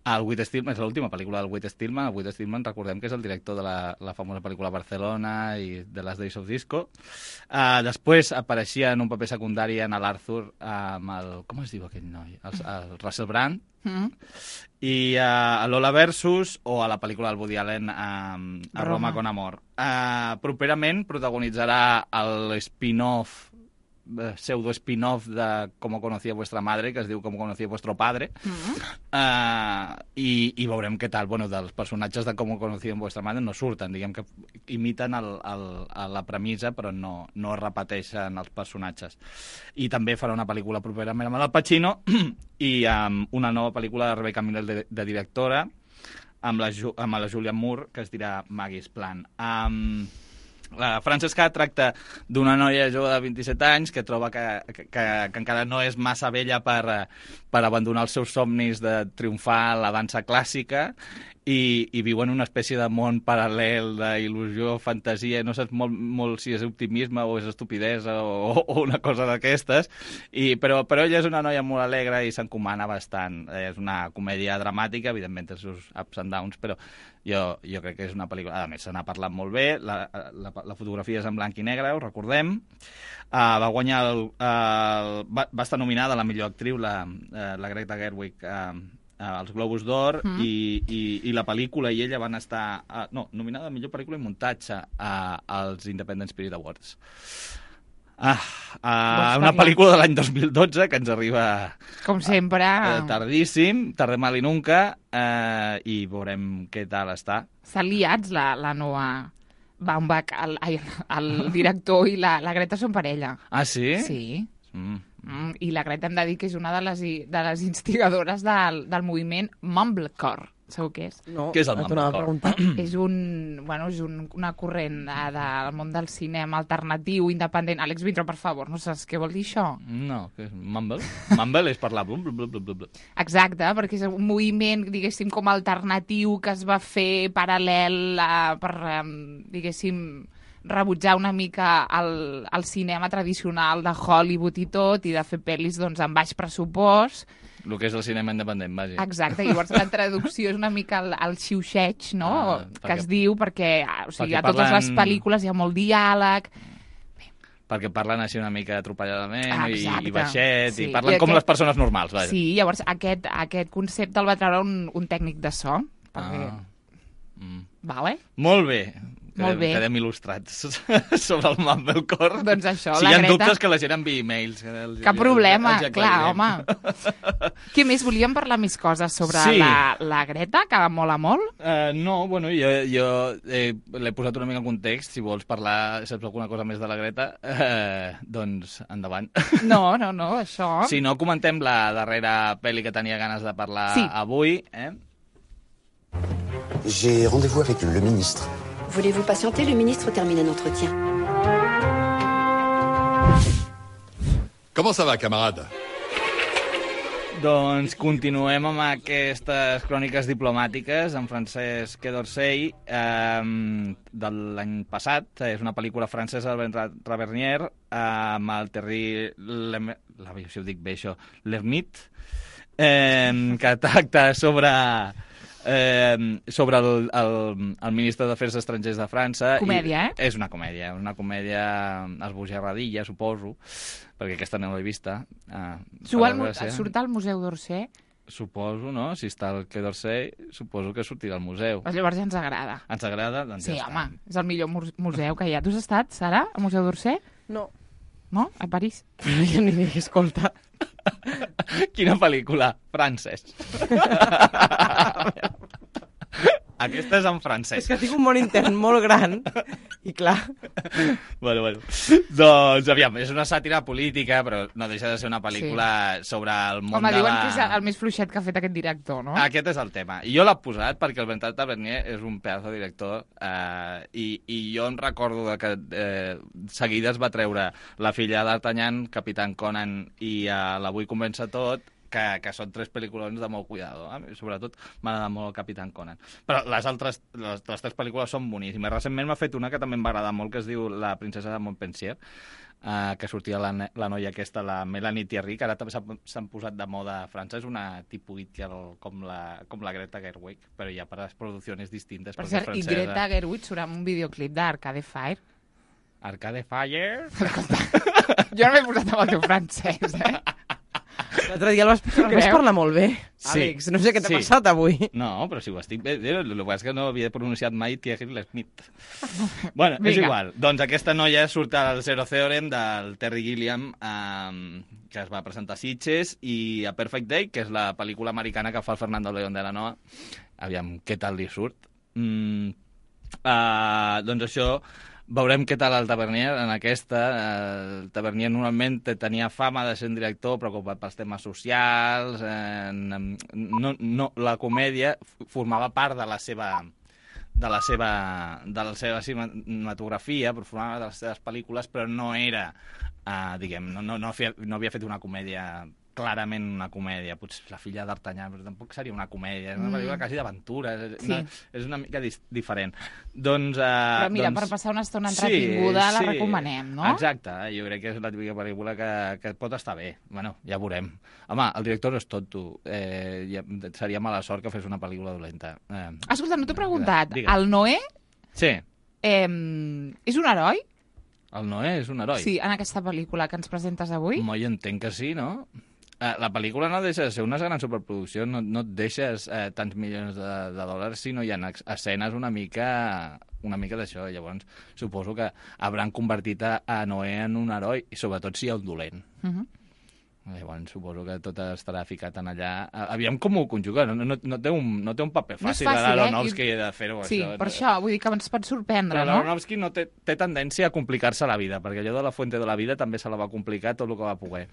S8: El Whit Stillman és l'última pel·lícula del Whit Stillman. El Whit Stillman, recordem que és el director de la, la famosa pel·lícula Barcelona i de les Days of Disco. Uh, després apareixia en un paper secundari en l'Arthur amb el... Com es diu aquell noi? El, el Russell Brand. Mm. I uh, a Lola Versus o a la pel·lícula del Woody Allen um, a Roma, Roma con Amor. Uh, properament protagonitzarà el spin-off pseudo spin-off de Cómo conocía vuestra madre, que es diu Cómo conocía vuestro padre, mm-hmm. uh, i, i veurem què tal. Bueno, dels personatges de Cómo conocía vuestra madre no surten, diguem que imiten el, el, la premissa, però no, no repeteixen els personatges. I també farà una pel·lícula properament amb el Pacino i um, una nova pel·lícula de Rebecca Miller de, de directora amb la, amb la Julianne Moore, que es dirà Maggie's Plan. Um, La Francesca tracta d'una noia jove de vint-i-set anys que troba que, que, que, que encara no és massa vella per, per abandonar els seus somnis de triomfar a la dansa clàssica i, i viu en una espècie de món paral·lel d'il·lusió, fantasia, no saps molt, molt si és optimisme o és estupidesa o, o una cosa d'aquestes, i, però, però ella és una noia molt alegre i s'encomana bastant. És una comèdia dramàtica, evidentment té els seus ups and downs, però jo, jo crec que és una pel·lícula... A més, se n'ha parlat molt bé, la, la, la fotografia és en blanc i negre, ho recordem. Uh, va guanyar... El, el, va, va estar nominada a la millor actriu, la, la Greta Gerwig, uh, als Globus d'Or, mm. i, i, i la pel·lícula i ella van estar... Uh, no, nominada a millor pel·lícula i muntatge uh, als Independent Spirit Awards. Ah, uh, una pel·lícula de l'any dos mil dotze que ens arriba...
S2: Com sempre.
S8: Uh, tardíssim, tarde mal i nunca, uh, i veurem què tal està.
S2: S'han liats la, la nova Baumbach, el, el, el director i la, la Greta són parella.
S8: Ah, sí?
S2: Sí. Mm. Mm, I la Greta hem de dir que és una de les, de les instigadores del, del moviment Mumblecore. Sabeu què és?
S3: No,
S8: què és el Mumblecore?
S2: És, un, bueno, és un, una corrent de, del món del cinema alternatiu, independent. Àlex Vintró, per favor, no saps què vol dir això?
S8: No, què és Mumble? Mumble és parlar... Blum, blum, blum, blum.
S2: Exacte, perquè és un moviment, diguéssim, com alternatiu que es va fer paral·lel a, per, diguéssim, rebutjar una mica el, el cinema tradicional de Hollywood i tot, i de fer pel·lis doncs, amb baix pressupost.
S8: El que és el cinema independent, vaja.
S2: Exacte, llavors la traducció és una mica el, el xiuxeig, no?, ah, que perquè, es diu, perquè, o sigui, perquè a totes parlen... les pel·lícules hi ha molt diàleg...
S8: Perquè parlen així una mica atropelladament
S2: ah,
S8: i, i baixet,
S2: sí.
S8: i parlen I com aquest... les persones normals, vaja.
S2: Sí, llavors aquest, aquest concepte el va treure un, un tècnic de so, perquè...
S8: Ah. Mm.
S2: Vale?
S8: Molt bé.
S2: Molt bé.
S8: Quedem il·lustrats sobre el Mumblecore.
S2: Doncs això,
S8: si
S2: la
S8: hi ha
S2: Greta...
S8: dubtes, que la gent enviï e-mails. Els,
S2: Cap problema,
S8: els, els
S2: clar, home. Què més? Volíem parlar més coses sobre sí. la, la Greta, que mola molt?
S8: Uh, no, bueno, jo, jo eh, l'he posat una mica en context. Si vols parlar, saps alguna cosa més de la Greta, uh, doncs endavant.
S2: No, no, no, això...
S8: Si no, comentem la darrera pel·li que tenia ganes de parlar
S2: sí.
S8: avui. Eh?
S10: J'ai rendez-vous avec le ministre.
S7: Voulez-vous patienter? Le ministre termine un entretien.
S13: Comment ça va, camarade?
S8: Doncs continuem amb aquestes cròniques diplomàtiques en Francesc Quai-d'Orsay eh, de l'any passat. És una pel·lícula francesa de Bertrand Tavernier eh, amb el Thierry Lem... La, si ho dic bé, això, Lhermitte, eh, que tracta sobre... Eh, sobre el, el, el ministre d'Afers Estrangers de França.
S2: Comèdia,
S8: i
S2: eh?
S8: És una comèdia, una comèdia esbojarradilla, suposo, perquè aquesta no l'he vista. Ah,
S2: al, surt al Museu d'Orsay?
S8: Suposo, no? Si està al Quai d'Orsay, suposo que sortirà al museu.
S2: Pues llavors ja ens agrada.
S8: Ens agrada? Doncs
S2: sí,
S8: ja
S2: home,
S8: està.
S2: És el millor museu que hi ha. Tu has estat, Sara, al Museu d'Orsay?
S3: No.
S2: No? A París?
S3: Jo ni dic, escolta.
S8: Quina pel·lícula? Francès. Aquesta és en francès.
S3: És que tinc un món intern molt gran i clar...
S8: Bueno, bueno. Doncs, aviam, és una sàtira política, però no deixa de ser una pel·lícula sí. sobre el món
S2: Home,
S8: de la...
S2: Home, diuen que és el més fluixet que ha fet aquest director, no?
S8: Aquest és el tema. I jo l'he posat perquè el Bertrand Tavernier és un pedaç de director eh, i, i jo em recordo de que eh, seguida es va treure La filla d'Artagnan, Capitán Conan i eh, l'Avui comença tot, que, que són tres pel·lícules de molt cuidado. Eh? Sobretot m'agrada molt el Capitán Conan. Però les altres, les, les tres pel·lícules són boníssimes. Recentment m'ha fet una que també em va agradar molt, que es diu La princesa de Montpensier, Uh, que sortia la, la noia aquesta, la Melanie Thierry, que ara també s'han posat de moda a França. És una tipus It Girl com la, com la Greta Gerwig, però ja per les produccions distintes.
S2: Per cert, i Greta Gerwig surt en un videoclip d'Arcade Fire.
S8: Arcade Fire?
S2: Jo no m'he posat amb el teu francès, eh?
S3: L'altre dia el vas, el vas parlar molt bé,
S8: sí,
S3: Àlex. No sé què t'ha
S8: sí.
S3: passat avui.
S8: No, però si ho estic bé. El que és que no havia pronunciat mai Thierry Lhermitte. Bueno, és
S2: Vinga.
S8: igual. Doncs aquesta noia surt al Zero Theorem del Terry Gilliam, eh, que es va presentar a Sitges, i a Perfect Day, que és la pel·lícula americana que fa el Fernando León de la Noa. Aviam què tal li surt. Mm, uh, doncs això... Veurem què tal el Tavernier en aquesta. El Tavernier normalment tenia fama de ser un director preocupat pels temes socials. Eh, no, no, la comèdia formava part de la seva de la seva, de la seva cinematografia, formava de les seves pel·lícules, però no era, eh, diguem, no, no, no, feia, no havia fet una comèdia clarament una comèdia, potser La filla d'Artanyà, però tampoc seria una comèdia, és una pel·lícula quasi d'aventura, és,
S2: Sí.
S8: una, és una mica dis, diferent. Doncs, uh,
S2: Però mira,
S8: doncs,
S2: per passar una estona entretinguda
S8: sí,
S2: la
S8: sí.
S2: recomanem, no?
S8: Exacte, jo crec que és la típica pel·lícula que, que pot estar bé. Bueno, ja veurem. Home, el director és tonto. Eh, ja, seria mala sort que fes una pel·lícula dolenta. Eh,
S2: Escolta, no t'he preguntat,
S8: Digues.
S2: el Noé
S8: Sí,
S2: eh, és un heroi?
S8: el Noé és un heroi.
S2: Sí, en aquesta pel·lícula que ens presentes avui?
S8: Home, jo entenc que sí, no? Eh, la pel·lícula no deixa de ser una gran superproducció, no, no et deixes eh, tants milions de, de dòlars si no hi ha ex- escenes una mica una mica d'això. Llavors, suposo que hauran convertit a, a Noé en un heroi, i sobretot si hi ha un dolent.
S2: Uh -huh.
S8: Llavors, suposo que tot estarà ficat en allà. A- Aviam com ho conjuga, no, no, no, té, un, no té un paper
S2: No és
S8: fàcil,
S2: fàcil,
S8: de
S2: eh?
S8: l'Aronofsky
S2: I-
S8: de fer-ho,
S2: Sí,
S8: això.
S2: per això, vull dir que ens pot sorprendre,
S8: Però
S2: no?
S8: l'Aronofsky no té, té tendència a complicar-se la vida, perquè allò de La fuente de la vida també se la va complicar tot el que va poder.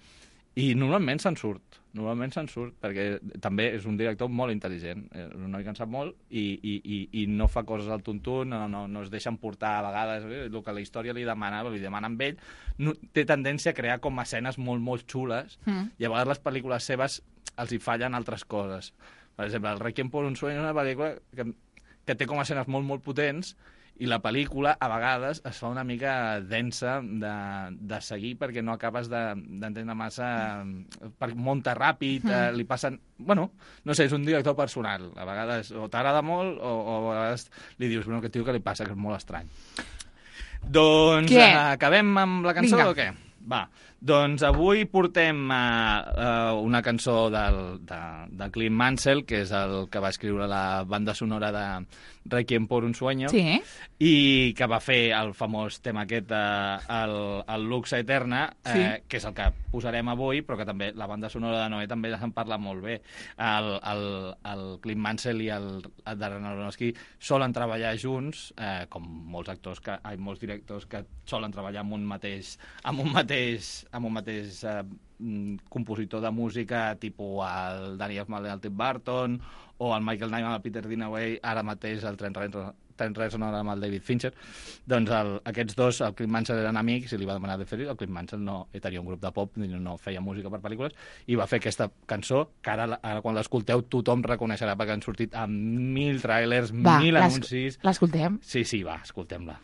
S8: I normalment se'n surt, normalment se'n surt, perquè també és un director molt intel·ligent, és un noi que en sap molt, i, i, i, i no fa coses al tuntún, no, no, no es deixen portar a vegades, eh, el que la història li demana, li demana amb ell, no, té tendència a crear com escenes molt, molt xules,
S2: Mm.
S8: i a vegades les pel·lícules seves els hi fallen altres coses. Per exemple, el Requiem por un sueño és una pel·lícula que, que té com escenes molt, molt potents, i la pel·lícula, a vegades, es fa una mica densa de, de seguir perquè no acabes de- d'entendre massa... Per, munta ràpid,
S2: Mm.
S8: eh, li passen... Bueno, no sé, és un director personal. A vegades o t'agrada molt o, o a vegades li dius, bueno, aquest tio que li passa, que és molt estrany. Doncs
S2: Què?
S8: eh, acabem amb la cançó
S2: Vinga.
S8: o què? Va, doncs avui portem uh, uh, una cançó del, de, de Clint Mansell, que és el que va escriure la banda sonora de Requiem por un sueño,
S2: Sí.
S8: i que va fer el famós tema aquest, uh, el, el Lux Eterna, eh,
S2: Sí.
S8: que és el que posarem avui, però que també la banda sonora de Noé també se'n parla molt bé. El, el, el Clint Mansell i el, el Darren Aronofsky solen treballar junts, eh, com molts actors, que, ai, molts directors que solen treballar amb un mateix, amb un mateix, amb un mateix eh, mm, compositor de música, tipus el Danny Elfman el Tim Burton, o el Michael Nyman el Peter Dinaway, ara mateix el Trent Reznor, Trent Reznor amb el David Fincher. Doncs el, aquests dos, el Clint Mansell eren amics i li va demanar de fer-ho. El Clint Mansell no tenia un grup de pop, no, no feia música per pel·lícules, i va fer aquesta cançó que ara, ara quan l'escolteu tothom reconeixerà perquè han sortit amb mil tràilers,
S2: Va,
S8: mil
S2: l'es-
S8: anuncis.
S2: l'escoltem?
S8: Sí, sí, va, escoltem-la.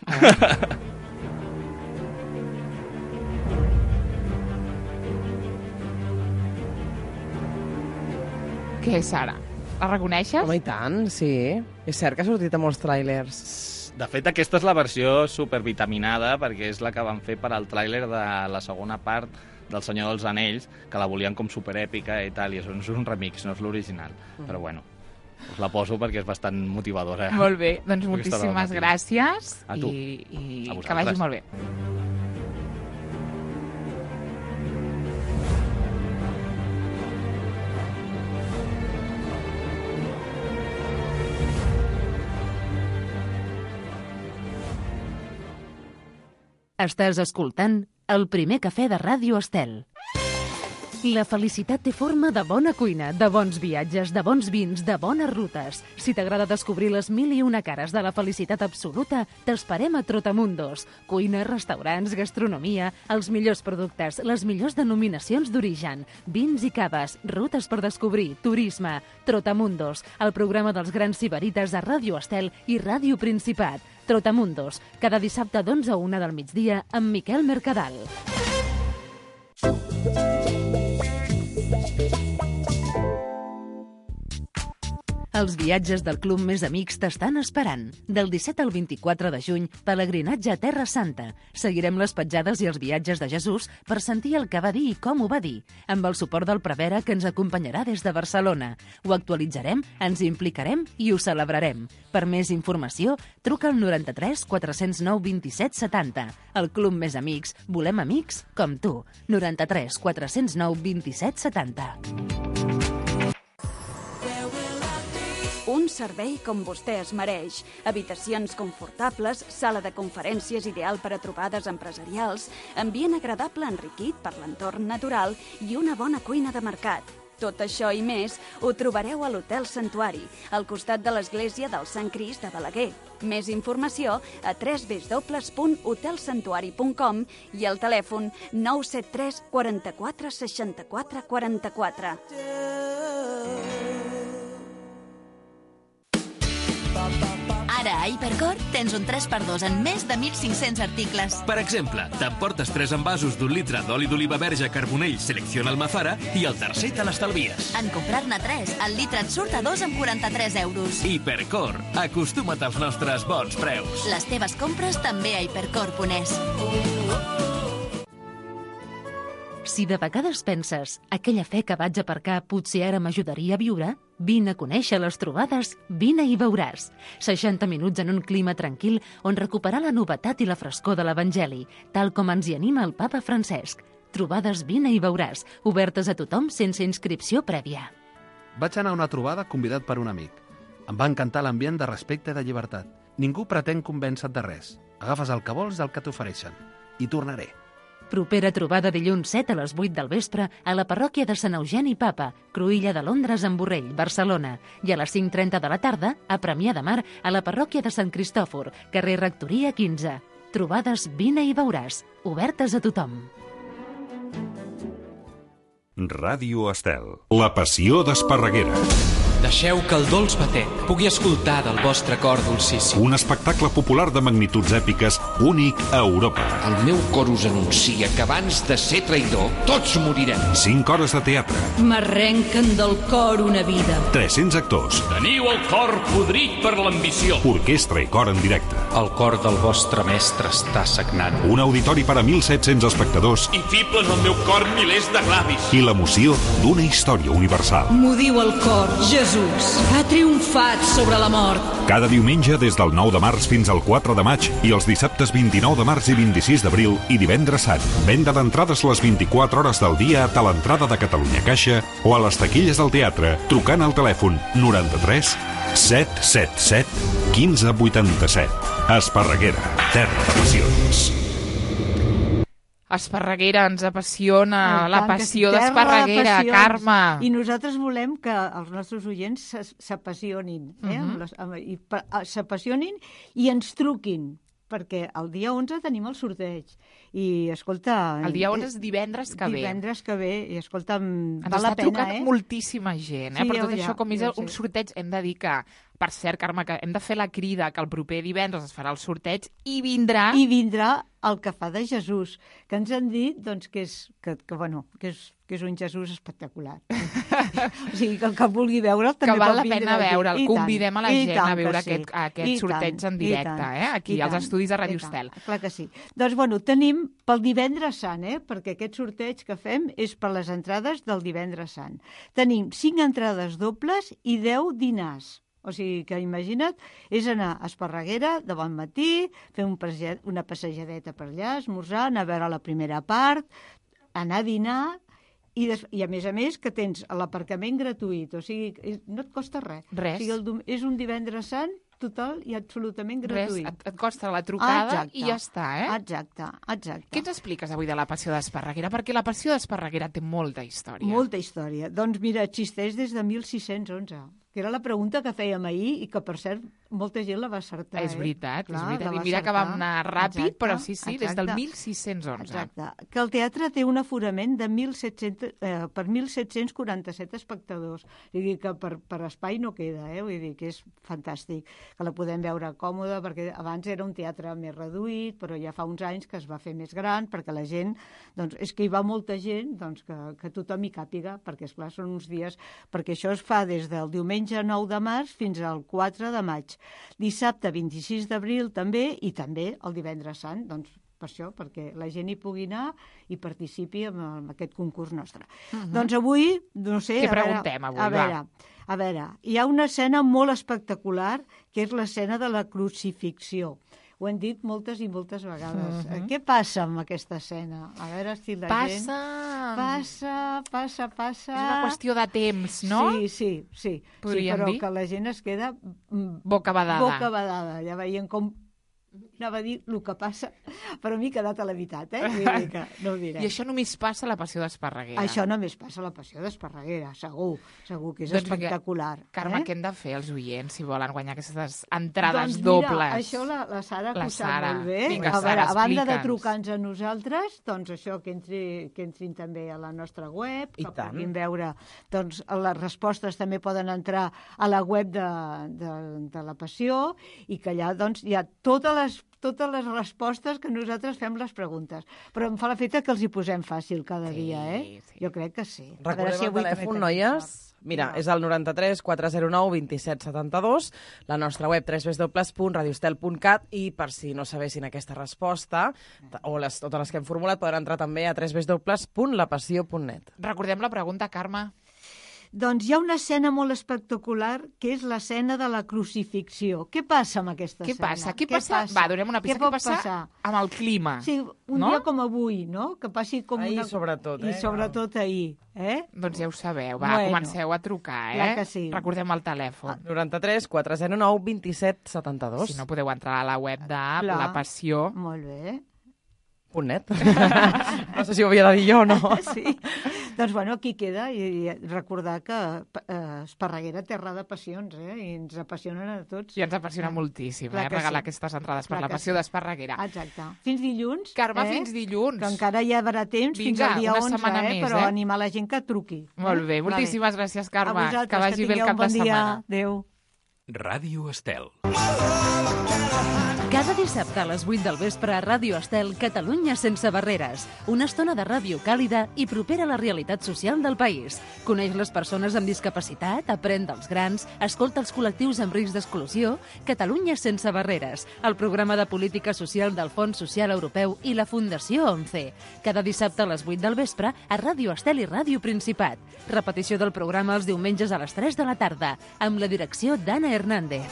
S2: Què és ara? La reconeixes?
S3: Home, i tant, sí. És cert que ha sortit a molts tràilers.
S8: De fet, aquesta és la versió supervitaminada, perquè és la que van fer per al tràiler de la segona part del Senyor dels Anells, que la volien com superèpica i tal, i és un, és un remix, no és l'original. Mm. Però bueno, us la poso perquè és bastant motivadora.
S2: Molt bé, doncs
S8: Aquesta hora del
S2: moltíssimes
S8: matí.
S2: gràcies
S8: A tu.
S2: i, i
S8: A
S2: que
S8: vosaltres.
S2: vagi molt bé.
S1: Estàs escoltant El primer cafè de Ràdio Estel. La felicitat té forma de bona cuina, de bons viatges, de bons vins, de bones rutes. Si t'agrada descobrir les mil i una cares de la felicitat absoluta, t'esperem a Trotamundos. Cuina, restaurants, gastronomia, els millors productes, les millors denominacions d'origen, vins i caves, rutes per descobrir, turisme. Trotamundos, el programa dels grans sibarites a Ràdio Estel i Ràdio Principat. Trotamundos, cada dissabte d'onze a una del migdia amb Miquel Mercadal. Els viatges del Club Més Amics t'estan esperant. Del disset al vint-i-quatre de juny, pelegrinatge a Terra Santa. Seguirem les petjades i els viatges de Jesús per sentir el que va dir i com ho va dir, amb el suport del prevere que ens acompanyarà des de Barcelona. Ho actualitzarem, ens implicarem i ho celebrarem. Per més informació, truca al noranta-tres quatre zero nou vint-i-set setanta. El Club Més Amics, volem amics com tu. noranta-tres quatre zero nou vint-i-set setanta.
S14: Un servei com vostè es mereix. Habitacions confortables, sala de conferències ideal per a trobades empresarials, ambient agradable enriquit per l'entorn natural i una bona cuina de mercat. Tot això i més ho trobareu a l'Hotel Santuari, al costat de l'església del Sant Crist de Balaguer. Més informació a w w w punt hotel santuari punt com i al telèfon nou set tres quaranta-quatre seixanta-quatre quaranta-quatre.
S7: Ara a Hipercor tens un tres per dos en més de mil cinc-cents articles.
S6: Per exemple, t'emportes tres envasos d'un litre d'oli d'oliva verge Carbonell Selecciona Almazara i el tercer te l'estalvies.
S7: En comprar-ne tres, el litre et surt a dos amb quaranta-tres euros.
S6: Hipercor, acostuma't als nostres bons preus.
S7: Les teves compres també a hipercor punt es.
S1: Si de vegades penses, aquella fe que vaig aparcar potser ara m'ajudaria a viure, vine a conèixer les trobades, vine i veuràs. seixanta minuts en un clima tranquil on recuperar la novetat i la frescor de l'Evangeli, tal com ens hi anima el papa Francesc. Trobades vine i veuràs, obertes a tothom sense inscripció prèvia.
S15: Vaig anar a una trobada convidat per un amic. Em va encantar l'ambient de respecte i de llibertat. Ningú pretén convèncer-te de res. Agafes el que vols i el que t'ofereixen. I tornaré.
S1: Propera trobada dilluns set a les vuit del vespre a la parròquia de Sant Eugeni Papa, Cruïlla de Londres en Borrell, Barcelona, i a les cinc trenta de la tarda a Premià de Mar a la parròquia de Sant Cristòfor, carrer Rectoria quinze. Trobades vine i veuràs, obertes a tothom.
S4: Ràdio Estel. La passió d'Esparreguera.
S16: Deixeu que el dolç batet pugui escoltar del vostre cor dolcíssim.
S4: Un espectacle popular de magnituds èpiques únic a Europa.
S17: El meu cor us anuncia que abans de ser traïdor, tots morirem.
S4: Cinc hores de teatre.
S18: M'arrenquen del cor una vida.
S4: tres-cents actors.
S6: Teniu el cor podrit per l'ambició.
S4: Orquestra i cor en directe.
S16: El cor del vostre mestre està sagnant.
S4: Un auditori per a mil set-cents espectadors.
S6: I fiblen al meu cor milers de glavis.
S4: I l'emoció d'una història universal.
S18: M'ho diu el cor, Jesús. Ha triomfat sobre la mort.
S4: Cada diumenge des del nou de març fins al quatre de maig i els dissabtes vint-i-nou de març i vint-i-sis d'abril i divendres sant. Venda d'entrades les vint-i-quatre hores del dia a l'entrada de Catalunya Caixa o a les taquilles del teatre trucant al telèfon noranta-tres set set set quinze vuitanta-set. Esparreguera, terra de passions.
S2: Esparreguera, ens apassiona, la
S19: tant que
S2: passió
S19: sí, terra de
S2: d'Esparreguera,
S19: passions.
S2: Carme.
S19: I nosaltres volem que els nostres oients s'as- s'apassionin, eh?
S2: Mhm.
S19: amb les- amb- i pa- a- s'apassionin i ens truquin, perquè el dia onze tenim el sorteig. I, escolta...
S2: El dia onze
S19: eh,
S2: és divendres que ve.
S19: Divendres que ve, i escolta,
S2: Ens
S19: val
S2: està
S19: la pena,
S2: trucant
S19: eh?
S2: moltíssima gent, eh?
S19: Sí,
S2: per
S19: ja
S2: tot
S19: ho-
S2: això,
S19: ja,
S2: com és
S19: ja ho
S2: un
S19: sé.
S2: sorteig, hem de dir que, per cert, Carme, que hem de fer la crida que el proper divendres es farà el sorteig i vindrà...
S19: I vindrà el que fa de Jesús, que ens han dit doncs, que, és, que, que, bueno, que, és, que és un Jesús espectacular. O sigui, que el que vulgui veure'l també
S2: que val
S19: pot
S2: la
S19: vindre
S2: pena
S19: aquí.
S2: veure'l.
S19: I
S2: Convidem a la
S19: tant,
S2: gent
S19: i tant
S2: a veure
S19: que sí.
S2: aquest, aquest
S19: I
S2: sorteig
S19: tant,
S2: en
S19: i
S2: directe,
S19: tant,
S2: eh? aquí
S19: i
S2: als
S19: tant,
S2: estudis de
S19: i
S2: Ràdio
S19: tant.
S2: Estel.
S19: Clar que sí. Doncs, bueno, tenim pel divendres sant, eh? Perquè aquest sorteig que fem és per les entrades del divendres sant. Tenim cinc entrades dobles i deu dinars. O sigui que, imagina't, és anar a Esparreguera de bon matí, fer un passeig, una passejadeta per allà, esmorzar, anar a veure la primera part, anar a dinar, i, des, i a més a més que tens l'aparcament gratuït, o sigui, és, no et costa res.
S2: Res.
S19: O sigui, el, dom- és un divendres sant total i absolutament
S2: Res,
S19: gratuït.
S2: et, et costa la trucada
S19: Exacte.
S2: i ja està, eh?
S19: Exacte, exacte.
S2: Què ens expliques avui de la Passió d'Esparreguera? Perquè la Passió d'Esparreguera té molta història.
S19: Molta història. Doncs mira, existeix des de mil sis-cents onze, que era la pregunta que fèiem ahir i que, per cert, molta gent la va acertar.
S2: És veritat,
S19: eh? Clar,
S2: és veritat.
S19: la
S2: I
S19: va
S2: mira que
S19: acertar.
S2: vam anar ràpid,
S19: Exacte,
S2: però sí, sí, des del
S19: exacte.
S2: mil sis-cents onze.
S19: Exacte. Que el teatre té un aforament de mil set-cents, eh, per mil set-cents quaranta-set espectadors. Vull dir que per, per espai no queda, eh? Vull dir que és fantàstic, que la podem veure còmoda, perquè abans era un teatre més reduït, però ja fa uns anys que es va fer més gran, perquè la gent, doncs, és que hi va molta gent, doncs, que, que tothom hi càpiga, perquè, esclar, són uns dies, perquè això es fa des del diumenge nou de març fins al quatre de maig. Dissabte vint-i-sis d'abril també, i també el divendres sant, doncs per això, perquè la gent hi pugui anar i participi en, en aquest concurs nostre. Uh-huh. Doncs avui, no sé...
S2: Què
S19: a veure,
S2: preguntem avui,
S19: a veure,
S2: va?
S19: A veure, hi ha una escena molt espectacular, que és l'escena de la crucifixió. Ho hem dit moltes i moltes vegades. Uh-huh. Què passa amb aquesta escena? A veure si la
S2: passa...
S19: gent... Passa, passa, passa...
S2: És una qüestió de temps, no?
S19: Sí, sí, sí.
S2: Podríem
S19: sí, però
S2: dir?
S19: que la gent es queda...
S2: Bocabadada.
S19: Bocabadada. Ja veient com... Anava a dir el que passa, però m'he quedat a la veritat, eh? Vull dir que no ho direm.
S2: I això només passa a la Passió d'Esparreguera.
S19: Això només passa a la Passió d'Esparreguera, segur, segur que és
S2: doncs
S19: espectacular.
S2: Que, Carme,
S19: eh?
S2: què hem de fer els oients si volen guanyar aquestes entrades
S19: doncs
S2: dobles?
S19: Mira, això la, la Sara
S2: la
S19: ho sap
S2: Sara.
S19: molt bé.
S2: Vinga,
S19: a, veure,
S2: Sara,
S19: a banda de
S2: explica'ns.
S19: trucar-nos a nosaltres, doncs això, que, entri, que entrin també a la nostra web,
S3: I
S19: que
S3: tant.
S19: puguin veure, doncs les respostes també poden entrar a la web de, de, de la Passió, i que allà doncs hi ha totes les totes les respostes que nosaltres fem les preguntes. Però em fa la feta que els hi posem fàcil cada
S2: Sí,
S19: dia, eh?
S2: sí.
S19: Jo crec que sí. A
S3: Recordem
S19: veure si
S3: el
S19: avui també
S3: telèfon,
S19: tenim
S3: noies.
S19: sort.
S3: Mira,
S19: No.
S3: és el noranta-tres quatre zero nou vint set setanta dos, la nostra web w w w punt radiostel punt cat, i per si no sabessin aquesta resposta, o les, totes les que hem formulat, poden entrar també a w w w punt la passió punt net.
S2: Recordem la pregunta, Carme.
S19: Doncs hi ha una escena molt espectacular, que és l'escena de la crucifixió. Què passa amb aquesta
S2: Què
S19: escena?
S2: passa? Què passa? Va, donem una pista.
S19: Què
S2: Què
S19: pot
S2: passa
S19: passar?
S2: amb el clima?
S19: Sí, un
S2: no?
S19: dia com avui, no? Que passi com
S3: Ahir,
S19: una...
S3: sobretot, eh?
S19: I sobretot ahir, eh?
S2: Doncs ja ho sabeu. Va,
S19: Bueno,
S2: comenceu a trucar, eh?
S19: clar que sí.
S2: Recordem el telèfon.
S3: noranta-tres quatre zero nou vint set setanta dos.
S2: Si no, podeu entrar a la web de
S19: Clar.
S2: La Passió.
S19: Molt bé.
S3: Punt net. No sé si ho havia de dir jo o no.
S19: Sí. Doncs, bueno, aquí queda, i, i recordar que eh, Esparreguera terra de passions, eh? I ens apassionen a tots.
S2: I ens apassiona moltíssim,
S19: Clar
S2: eh?
S19: que
S2: Regalar
S19: sí.
S2: aquestes entrades per
S19: Clar
S2: la
S19: que
S2: Passió
S19: sí.
S2: d'Esparreguera.
S19: Exacte. Fins dilluns.
S2: Carme,
S19: eh?
S2: fins dilluns.
S19: Que encara hi haurà temps, fins
S2: Vinga,
S19: al dia
S2: una
S19: onze,
S2: setmana
S19: eh?
S2: més,
S19: Però
S2: eh?
S19: animar la gent que truqui.
S2: Molt bé,
S19: Eh?
S2: moltíssimes gràcies, Carme.
S19: A vosaltres,
S2: Que vagi bé el
S19: tingueu
S2: cap
S19: un bon
S2: de
S19: dia.
S2: setmana.
S19: Adéu.
S6: Ràdio Estel.
S1: Cada dissabte a les vuit del vespre a Ràdio Estel, Catalunya sense barreres. Una estona de ràdio càlida i propera a la realitat social del país. Coneix les persones amb discapacitat, aprèn dels grans, escolta els col·lectius amb risc d'exclusió. Catalunya sense barreres, el programa de política social del Fons Social Europeu i la Fundació ONCE. Cada dissabte a les vuit del vespre a Ràdio Estel i Ràdio Principat. Repetició del programa els diumenges a les tres de la tarda, amb la direcció d'Anna Hernández.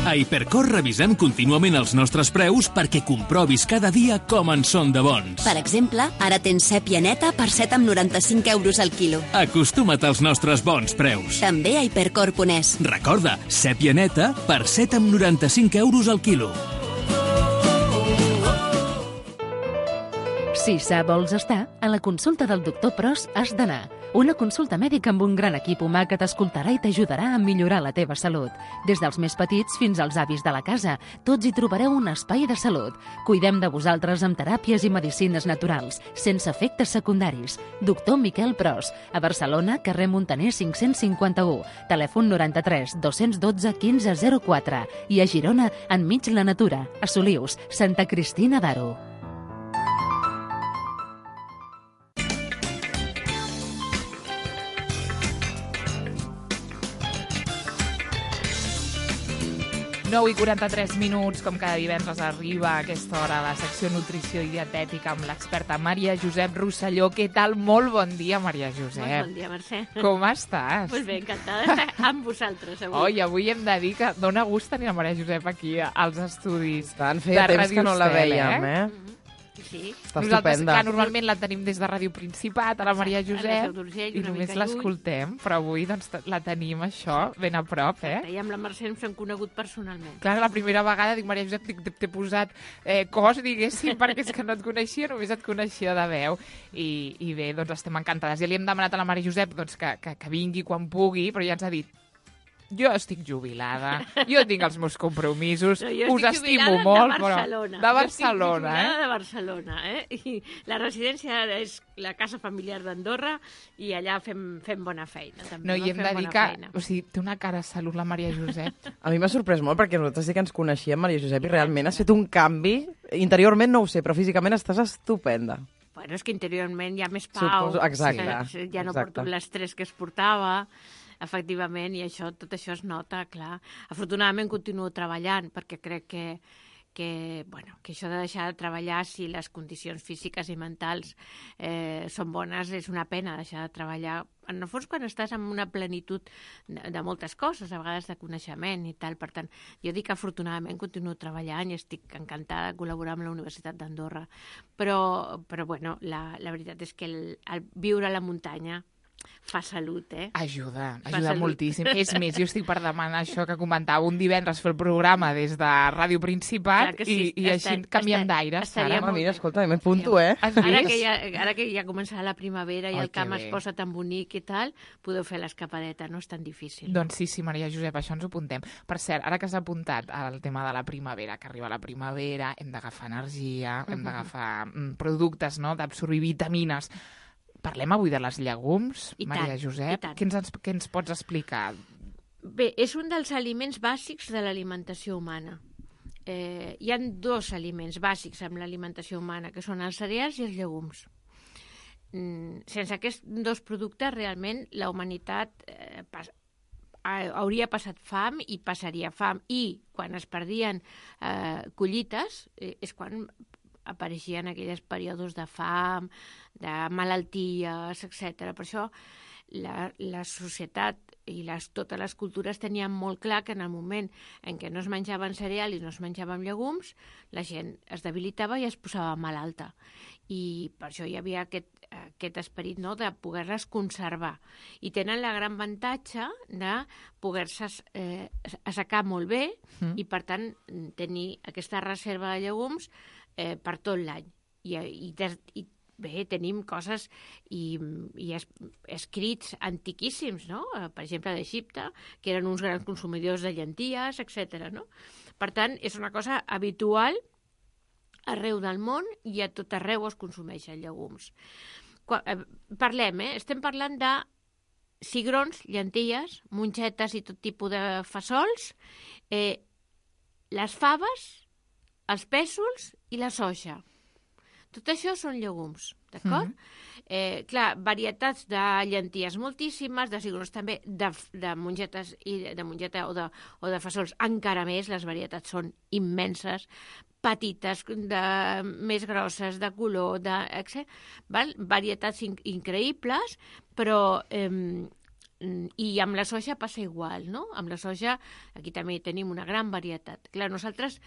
S6: A Hipercor revisem contínuament els nostres preus perquè comprovis cada dia com en són de bons.
S7: Per exemple, ara tens sèpia neta per set coma noranta-cinc euros al quilo.
S6: Acostuma't als nostres bons preus.
S7: També a hipercor punt es.
S6: Recorda, sèpia neta per set coma noranta-cinc euros al quilo.
S1: Si sa vols estar, a la consulta del doctor Pros has d'anar. Una consulta mèdica amb un gran equip humà que t'escoltarà i t'ajudarà a millorar la teva salut. Des dels més petits fins als avis de la casa, tots hi trobareu un espai de salut. Cuidem de vosaltres amb teràpies i medicines naturals, sense efectes secundaris. Doctor Miquel Pros, a Barcelona, carrer Montaner cinc-cents cinquanta-u, telèfon noranta-tres dos dotze quinze zero quatre, i a Girona, enmig la natura, a Solius, Santa Cristina d'Aro.
S2: nou i quaranta-tres minuts, com cada divendres arriba a aquesta hora la secció Nutrició i Dietètica amb l'experta Maria Josep Rosselló. Què tal? Molt bon dia, Maria Josep.
S20: Molt bon dia, Mercè.
S2: Com estàs?
S20: Molt bé, encantada d'estar amb vosaltres avui.
S2: Oi, avui hem de dir que dona gust tenir la Maria Josep aquí als estudis.
S3: Tant, feia
S2: de
S3: temps que no la
S2: Ràdio Estel,
S3: veiem, eh?
S20: sí.
S3: Està
S2: Nosaltres,
S3: estupenda.
S2: clar, normalment la tenim des de Ràdio Principat, a la Maria
S20: Exacte, a la
S2: Josep,
S20: Seu d'Urgell,
S2: i
S20: una
S2: només
S20: mica lluny.
S2: l'escoltem, però avui doncs, la tenim, això, ben a prop, eh?
S20: I amb la Mercè ens hem conegut personalment.
S2: Clar, la primera vegada dic, Maria Josep, dic, t'he posat eh, cos, diguéssim, perquè és que no et coneixia, només et coneixia de veu. I, i bé, doncs estem encantades. Ja li hem demanat a la Maria Josep doncs, que, que, que vingui quan pugui, però ja ens ha dit jo estic jubilada, jo tinc els meus compromisos,
S20: no,
S2: us estimo molt,
S20: de Barcelona.
S2: però... De Barcelona,
S20: eh?
S2: eh?
S20: de Barcelona, eh? I la residència és la casa familiar d'Andorra i allà fem, fem bona feina. També,
S2: no, i hem de dir que...
S20: Feina.
S2: O sigui, té una cara de salut, la Maria Josep.
S3: A mi m'ha sorprès molt, perquè nosaltres sí que ens coneixíem, Maria Josep, i realment has fet un canvi. Interiorment no ho sé, però físicament estàs estupenda.
S20: Bueno, és que interiorment hi ha més pau.
S3: Suposo, exacte.
S20: Sí, ja no
S3: exacte.
S20: porto l'estrès que es portava, efectivament, i això, tot això es nota, clar. Afortunadament continuo treballant, perquè crec que, que, bueno, que això de deixar de treballar, si les condicions físiques i mentals eh, són bones, és una pena deixar de treballar. En el fons, quan estàs en una plenitud de, de moltes coses, a vegades de coneixement i tal. Per tant, jo dic que afortunadament continuo treballant i estic encantada de col·laborar amb la Universitat d'Andorra. Però, però bueno, la, la veritat és que el, el viure a la muntanya fa salut, eh?
S2: Ajuda,
S20: Fa
S2: ajuda
S20: salut.
S2: moltíssim. És més, jo estic per demanar això que comentava un divendres fer el programa des de Ràdio Principat
S20: Clar que sí,
S2: i, i així
S20: està-
S2: canviem
S20: està-
S2: d'aire.
S20: estaria
S3: Ah, mira, escolta, m'apunto, eh?
S2: Has
S20: Ara
S2: vist?
S20: que, ja, ara que ja començarà la primavera i
S2: Ai,
S20: el camp
S2: que
S20: es
S2: bé.
S20: posa tan bonic i tal, podeu fer l'escapadeta, no és tan difícil.
S2: Doncs sí, sí, Maria Josep, això ens ho apuntem. Per cert, ara que has apuntat al tema de la primavera, que arriba la primavera, hem d'agafar energia, hem d'agafar mm, productes, no?, d'absorbir vitamines. Parlem avui de les llegums,
S20: I
S2: Maria
S20: tant,
S2: Josep.
S20: i tant.
S2: Què ens, què ens pots explicar?
S20: Bé, és un dels aliments bàsics de l'alimentació humana. Eh, hi ha dos aliments bàsics en l'alimentació humana, que són els cereals i els llegums. Mm, sense aquests dos productes, realment, la humanitat eh, pas, ha- hauria passat fam i passaria fam. I quan es perdien eh, collites, eh, és quan apareixien aquells períodes de fam, de malalties, etcètera. Per això la, la societat i les, totes les cultures tenien molt clar que en el moment en què no es menjaven cereal i no es menjaven llegums, la gent es debilitava i es posava malalta. I per això hi havia aquest, aquest esperit, no?, de poder-les conservar. I tenen la gran avantatge de poder-se eh, assecar molt bé
S2: Mm.
S20: i, per tant, tenir aquesta reserva de llegums eh, per tot l'any. I, i, des, i bé, tenim coses i, i es, escrits antiquíssims, no? Eh, Per exemple, d'Egipte, que eren uns grans consumidors de llenties, etcètera, no? Per tant, és una cosa habitual arreu del món i a tot arreu es consumeixen llegums. Qua, eh, parlem, eh? Estem parlant de cigrons, llenties, mongetes i tot tipus de fesols, eh, les faves, els pèsols i la soja. Tot això són llegums, d'acord? Mm-hmm. eh, clar, varietats de llenties moltíssimes, de cigrons també, de, de mongetes i de mongeta o de, o de fesols encara més, les varietats són immenses, petites, de, més grosses, de color, de, etcètera. Val? Varietats in, increïbles, però eh, i amb la soja passa igual, no? Amb la soja aquí també tenim una gran varietat. Clar, nosaltres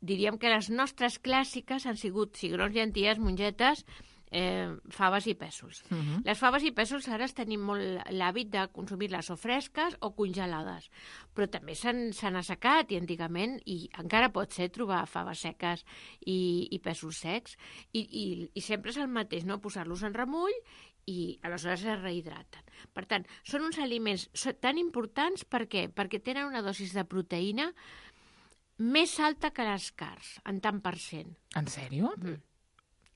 S20: diríem que les nostres clàssiques han sigut cigrons, llenties, mongetes, eh, faves i pèsols.
S2: Uh -huh.
S20: Les faves i pèsols ara tenim molt l'hàbit de consumir-les o fresques o congelades, però també s'han assecat i antigament, i encara pot ser trobar faves seques i, i pèsols secs, i, i, i sempre és el mateix, no? Posar-los en remull i aleshores es rehidraten. Per tant, són uns aliments tan importants, per què? Perquè tenen una dosis de proteïna més alta que les carns, en tant per cent.
S2: En sèrio?
S20: Mm.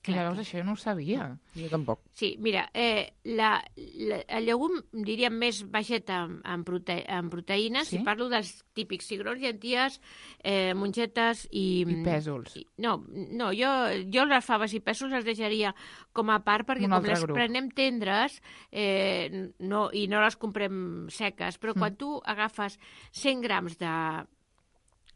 S2: Clar, veus, això jo no ho sabia.
S3: Jo tampoc.
S20: Sí, mira, eh, la, la, el llegum, diríem, més baixet en, en, prote, en proteïnes,
S2: Sí?
S20: si parlo dels típics cigrons, llenties, eh, mongetes i...
S2: I pèsols.
S20: I, no, no jo, jo les faves i pèsols les deixaria com a part, perquè
S2: Un
S20: com
S2: altre
S20: les
S2: grup.
S20: prenem tendres eh, no, i no les comprem seques, però
S2: Mm.
S20: quan tu agafes cent grams de,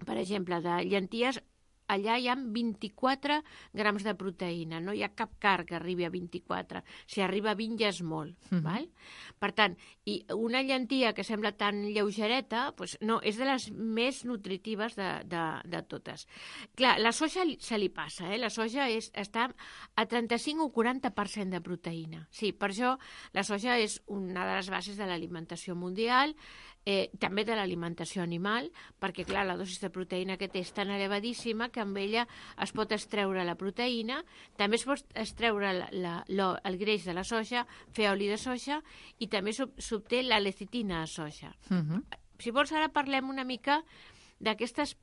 S20: per exemple, de llenties, allà hi ha vint-i-quatre grams de proteïna, no hi ha cap carn que arribi a vint-i-quatre. Si arriba a vint ja és molt. Mm-hmm. Val? Per tant, i una llentia que sembla tan lleugereta, doncs no, és de les més nutritives de, de, de totes. Clar, la soja se li passa, eh? La soja és, està a trenta-cinc o quaranta per cent de proteïna. Sí, per això la soja és una de les bases de l'alimentació mundial, Eh, també de l'alimentació animal, perquè, clar, la dosis de proteïna que té és tan elevadíssima que amb ella es pot extreure la proteïna, també es pot extreure la, la, la, el greix de la soja, fer oli de soja, i també s'obté la lecitina de soja. Uh-huh. Si vols, ara parlem una mica d'aquestes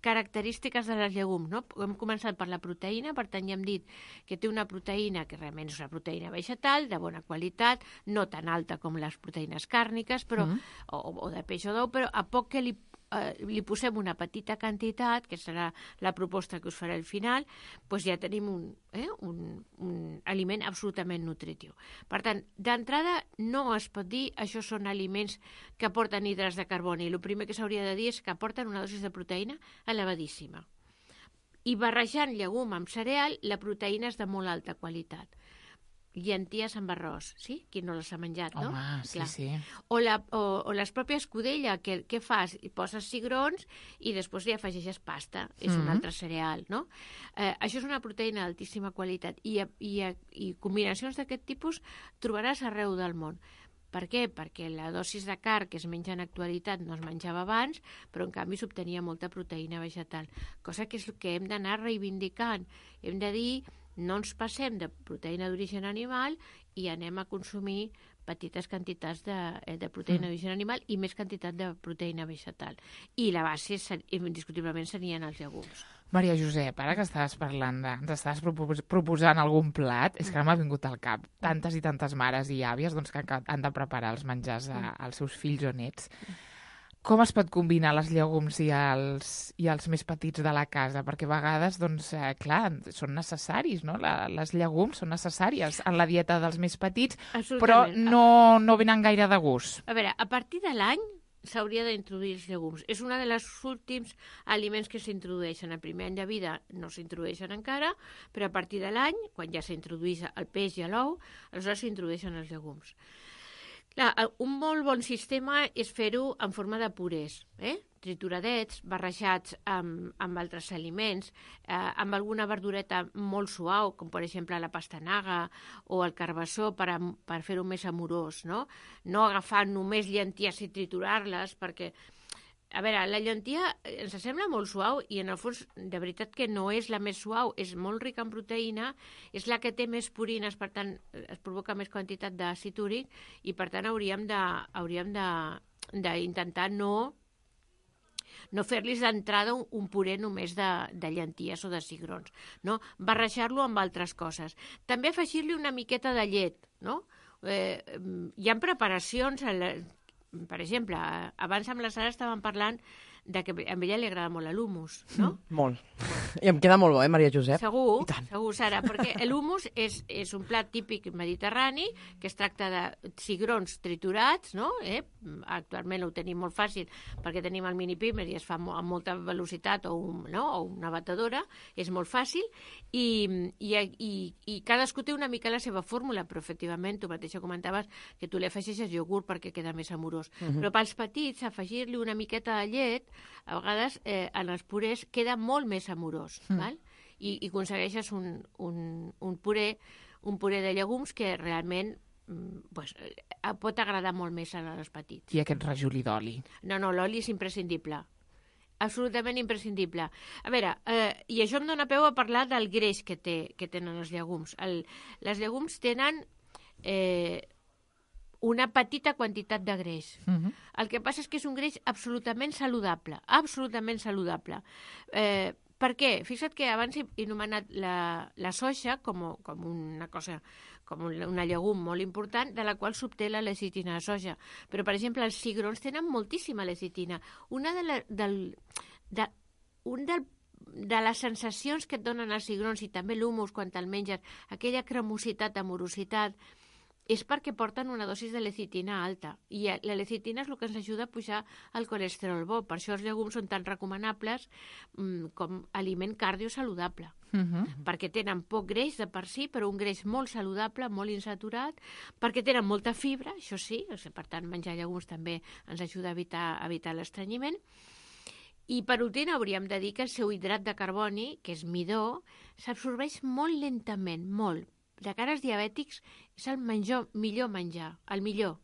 S20: característiques de les llegums, no? Hem començat per la proteïna, per tant ja hem dit que té una proteïna que realment és una proteïna vegetal, de bona qualitat, no tan alta com les proteïnes càrniques, però, mm. o, o de peix o d'ou, però a poc que li, eh, li posem una petita quantitat, que serà la proposta que us faré al final, doncs ja tenim un, eh, un, un aliment absolutament nutritiu. Per tant, d'entrada no es pot dir això són aliments que aporten hidrats de carboni. El primer que s'hauria de dir és que aporten una dosis de proteïna elevadíssima. I barrejant llegum amb cereal, la proteïna és de molt alta qualitat. Llenties amb arròs, sí? Qui no les ha menjat, no?
S2: Home, sí,
S20: Clar.
S2: sí.
S20: O, la, o, o les pròpies escudella, que què fas? Hi poses cigrons i després li afegeixes pasta. És mm-hmm. un altre cereal, no? Eh, això és una proteïna d'altíssima qualitat i, i, i combinacions d'aquest tipus trobaràs arreu del món. Per què? Perquè la dosis de carn que es menja en actualitat no es menjava abans, però en canvi s'obtenia molta proteïna vegetal, cosa que és el que hem d'anar reivindicant. Hem de dir, no ens passem de proteïna d'origen animal i anem a consumir petites quantitats de, de proteïna d'origen animal i més quantitat de proteïna vegetal. I la base, indiscutiblement, serien els llegums.
S2: Maria Josep, ara que estaves parlant de... ens estaves proposant algun plat, és que ara m'ha vingut al cap tantes i tantes mares i àvies doncs, que han de preparar els menjars a, als seus fills o nets. Com es pot combinar les llegums i els, i els més petits de la casa? Perquè a vegades, doncs, eh, clar, són necessaris, no? La, les llegums són necessàries en la dieta dels més petits, però no, no venen gaire de gust.
S20: A veure, a partir de l'any s'hauria d'introduir els llegums. És un dels últims aliments que s'introdueixen. El primer any de vida no s'introdueixen encara, però a partir de l'any, quan ja s'introdueix el peix i l'ou, aleshores s'introdueixen els llegums. Clar, un molt bon sistema és fer-ho en forma de purés, eh? Trituradets, barrejats amb, amb altres aliments, eh, amb alguna verdureta molt suau, com per exemple la pastanaga o el carbassó per, a, per fer-ho més amorós, no? No agafar només llenties i triturar-les, perquè, a veure, la llentia ens sembla molt suau i en el fons de veritat que no és la més suau, és molt rica en proteïna, és la que té més purines, per tant es provoca més quantitat d'àcid úric i per tant hauríem de, hauríem de, d'intentar no no fer-los d'entrada un, un puré només de, de llenties o de cigrons, no? Barrejar-lo amb altres coses. També afegir-li una miqueta de llet, no? Eh, hi ha preparacions, per exemple, abans amb la Sara estàvem parlant de que a ella li agrada molt l'humus, no?
S3: Mm, molt. I em queda molt bo, eh, Maria Josep?
S20: Segur, segur, Sara, perquè l'humus és, és un plat típic mediterrani que es tracta de cigrons triturats, no? Eh? Actualment ho tenim molt fàcil perquè tenim el mini pimer i es fa amb molta velocitat o, un, no? o una batedora, és molt fàcil i, i, i, i cadascú té una mica la seva fórmula, però efectivament tu mateixa comentaves que tu li afegeixes iogurt perquè queda més amorós. Uh-huh. Però pels petits afegir-li una miqueta de llet a vegades eh, en els purés queda molt més amorós, mm. val? I, i aconsegueixes un, un, un, puré, un puré de llegums que realment pues, pot agradar molt més als petits.
S2: I aquest rajolí d'oli?
S20: No, no, l'oli és imprescindible. Absolutament imprescindible. A veure, eh, i això em dóna peu a parlar del greix que, té, que tenen els llegums. El, les llegums tenen eh, una petita quantitat de greix. Uh-huh. El que passa és que és un greix absolutament saludable, absolutament saludable. Eh, per què? Fixa't que abans he anomenat la, la soja com, com una cosa, com una llegum molt important, de la qual s'obté la lecitina de soja. Però, per exemple, els cigrons tenen moltíssima lecitina. Una de, la, del, de, un del de les sensacions que et donen els cigrons i també l'humus quan te'l menges, aquella cremositat, amorositat, és perquè porten una dosis de lecitina alta, i la lecitina és el que ens ajuda a pujar el colesterol bo. Per això els llegums són tan recomanables mm, com aliment cardiosaludable, uh-huh. perquè tenen poc greix de per si, però un greix molt saludable, molt insaturat, perquè tenen molta fibra, això sí, o sigui, per tant, menjar llegums també ens ajuda a evitar, a evitar l'estrenyiment. I per últim hauríem de dir que el seu hidrat de carboni, que és midó, s'absorbeix molt lentament, molt. De cara als diabètics és el menjor, millor menjar, el millor,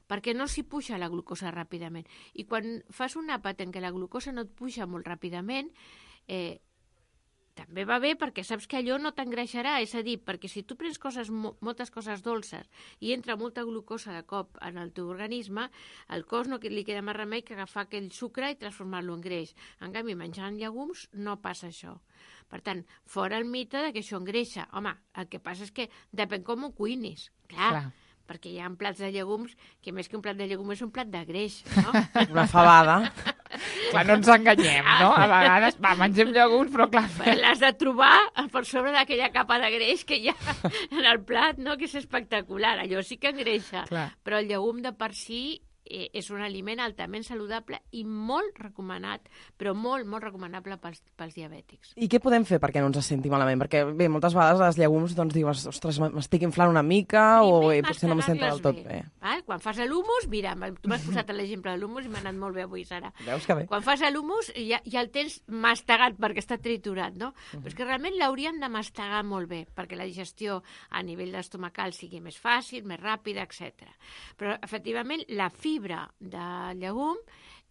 S20: perquè no s'hi puja la glucosa ràpidament. I quan fas un àpat en què la glucosa no et puja molt ràpidament, eh, també va bé perquè saps que allò no t'engreixarà, és a dir, perquè si tu prens coses, moltes coses dolces i entra molta glucosa de cop en el teu organisme, al cos no li queda més remei que agafar aquell sucre i transformar-lo en greix. En canvi, menjant llegums no passa això. Per tant, fora el mite de que això engreixa. Home, el que passa és que depèn com ho cuinis. Clar, Clar. perquè hi ha plats de llegums que més que un plat de llegum és un plat de greix, no?
S3: Una fabada.
S2: Clar, no ens enganyem, no? A vegades, va, mengem llegums, però clar...
S20: L'has de trobar per sobre d'aquella capa de greix que hi ha en el plat, no? Que és espectacular, allò sí que engreixa. Clar. Però el llegum de per si eh, és un aliment altament saludable i molt recomanat, però molt, molt recomanable pels, pels diabètics.
S3: I què podem fer perquè no ens senti malament? Perquè, bé, moltes vegades els llegums doncs, dius, ostres, m'estic inflant una mica o eh, potser no em sento del tot bé. bé.
S20: Val? Quan fas l'humus, mira, tu m'has posat l'exemple de l'humus i m'ha anat molt bé avui, Sara.
S3: Veus que bé.
S20: Quan fas l'humus ja, ja el tens mastegat perquè està triturat, no? Uh-huh. Però és que realment l'hauríem de mastegar molt bé perquè la digestió a nivell estomacal sigui més fàcil, més ràpida, etcètera. Però, efectivament, la fibra de llegum,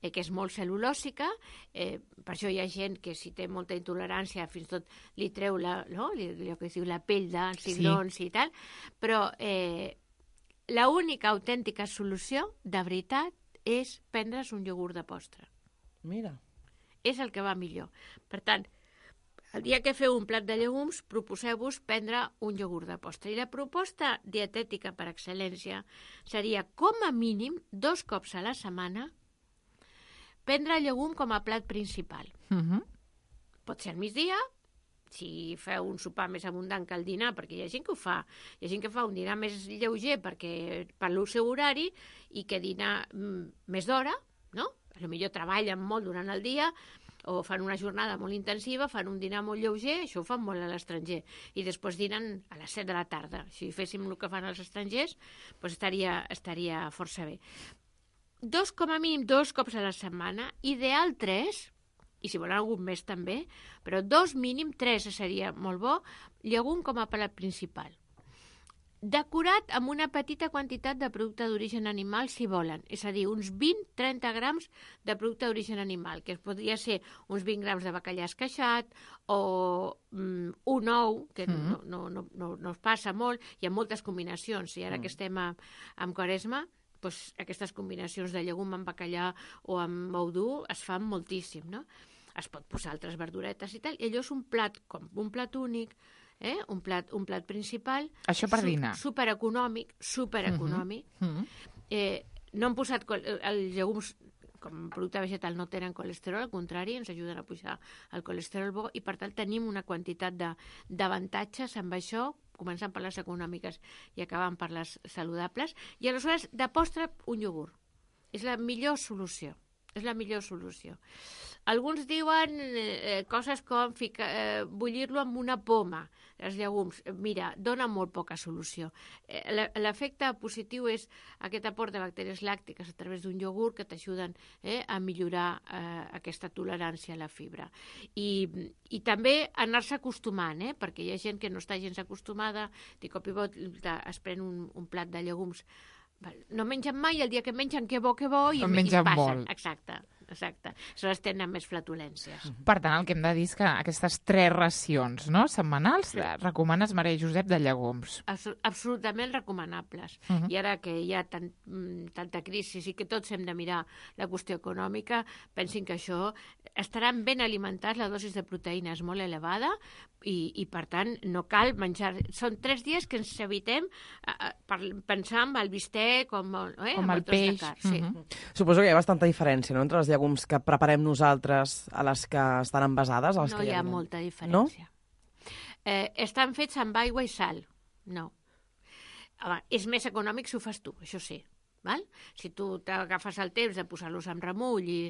S20: eh, que és molt cel·lulòsica, eh, per això hi ha gent que si té molta intolerància fins i tot li treu la, no? allò que es diu la pell dels cigrons sí. i tal, però eh, l'única autèntica solució, de veritat, és prendre's un iogurt de postre.
S3: Mira.
S20: És el que va millor. Per tant, el dia que feu un plat de llegums, proposeu-vos prendre un iogurt de postre. I la proposta dietètica per excel·lència seria, com a mínim, dos cops a la setmana, prendre el llegum com a plat principal.
S2: Uh-huh.
S20: Pot ser al migdia, si feu un sopar més abundant que el dinar, perquè hi ha gent que ho fa. Hi ha gent que fa un dinar més lleuger perquè per el seu horari i que dinar mm, més d'hora, no? Potser treballen molt durant el dia, o fan una jornada molt intensiva, fan un dinar molt lleuger, això ho fan molt a l'estranger, i després dinen a les set de la tarda. Si féssim el que fan els estrangers, doncs estaria, estaria força bé. Dos, com a mínim, dos cops a la setmana, ideal tres, i si volen algun més també, però dos mínim, tres seria molt bo, llegum com a plat principal. Decorat amb una petita quantitat de producte d'origen animal, si volen. És a dir, uns vint a trenta grams de producte d'origen animal, que podria ser uns vint grams de bacallà esqueixat o mm, un ou, que mm. no, no, no, no, no es passa molt. Hi ha moltes combinacions. I ara mm. que estem a, amb Quaresma, doncs aquestes combinacions de llegum amb bacallà o amb ou dur es fan moltíssim, no? Es pot posar altres verduretes i tal. I allò és un plat, com un plat únic, Eh? Un, plat, un plat principal.
S2: Això per dinar.
S20: Su, supereconòmic, supereconòmic. Uh-huh. Uh-huh. Eh, no han posat... Els llegums, com a producte vegetal, no tenen colesterol, al contrari, ens ajuden a pujar el colesterol bo i, per tant, tenim una quantitat d'avantatges amb això, començant per les econòmiques i acabant per les saludables. I, aleshores, de postre, un iogurt. És la millor solució. És la millor solució. Alguns diuen eh, coses com fica, eh, bullir-lo amb una poma, els llegums. Mira, dona molt poca solució. Eh, L'efecte positiu és aquest aport de bactèries làctiques a través d'un iogurt que t'ajuden eh, a millorar eh, aquesta tolerància a la fibra. I, i també anar-se acostumant, eh, perquè hi ha gent que no està gens acostumada, de cop i volta es pren un, un plat de llegums. No mengen mai, el dia que mengen que bo, que bo, i,
S2: no
S20: i es passen.
S2: Molt.
S20: Exacte, exacte. Aleshores tenen més flatulències.
S2: Per tant, el que hem de dir és que aquestes tres racions, no?, setmanals, sí. recomanes, Maria Josep, de llegums.
S20: Absol absolutament recomanables. Uh -huh. I ara que hi ha tant, tanta crisi i que tots hem de mirar la qüestió econòmica, pensin que això estaran ben alimentats, la dosis de proteïna és molt elevada i, i per tant, no cal menjar... Són tres dies que ens evitem uh, per pensar en el bistec, com, eh,
S2: com el peix.
S20: Sí.
S3: Uh -huh. Suposo que hi ha bastanta diferència, no?, entre els llegums que preparem nosaltres a les que estan envasades.
S20: No hi ha molta diferència. No? Eh, estan fets amb aigua i sal. No. home, és més econòmic si ho fas tu, això sí. Val? Si tu t'agafes el temps de posar-los en remull i,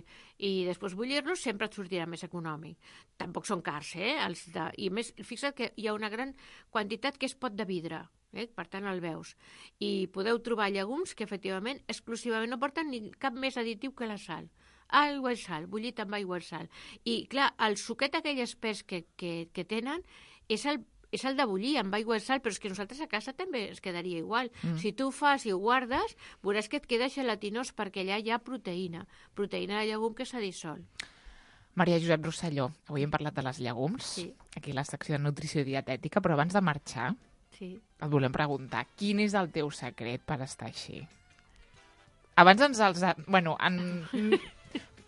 S20: i després bullir-los, sempre et sortirà més econòmic. Tampoc són cars, eh? Els de... I més, fixa't que hi ha una gran quantitat que és pot de vidre, eh? Per tant el veus. I podeu trobar llegums que efectivament exclusivament no porten ni cap més additiu que la sal. Aigua i sal, bullit amb aigua i sal. I clar, el suquet aquell espès que, que, que tenen és el és el de bullir amb aigua i sal, però és que nosaltres a casa també es quedaria igual. Mm. Si tu ho fas i ho guardes, veuràs que et queda gelatinós perquè allà hi ha proteïna, proteïna de llegum que s'ha dissolt.
S2: Maria Josep Rosselló, avui hem parlat de les llegums, sí. Aquí a la secció de nutrició i dietètica, però abans de marxar, sí. Et volem preguntar, quin és el teu secret per estar així? Abans ens els... Bueno, en...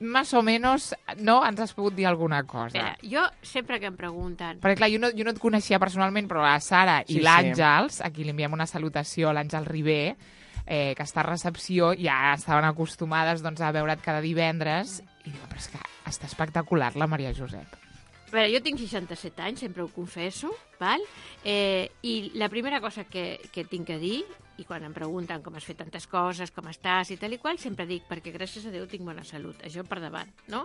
S2: Más o menos, no? Ens has pogut dir alguna cosa.
S20: Espera, jo sempre que em pregunten...
S2: Perquè, clar, jo no, jo no et coneixia personalment, però la Sara i
S3: sí,
S2: l'Àngels, sí. Aquí li enviem una salutació a l'Àngel Ribé, eh, que està a recepció, ja estaven acostumades doncs, a veure't cada divendres, i diu, però és que està espectacular la Maria Josep.
S20: A veure, jo tinc seixanta-set anys, sempre ho confesso, val? Eh, i la primera cosa que, que tinc a dir, i quan em pregunten com has fet tantes coses, com estàs i tal i qual, sempre dic, perquè gràcies a Déu tinc bona salut, això per davant, no?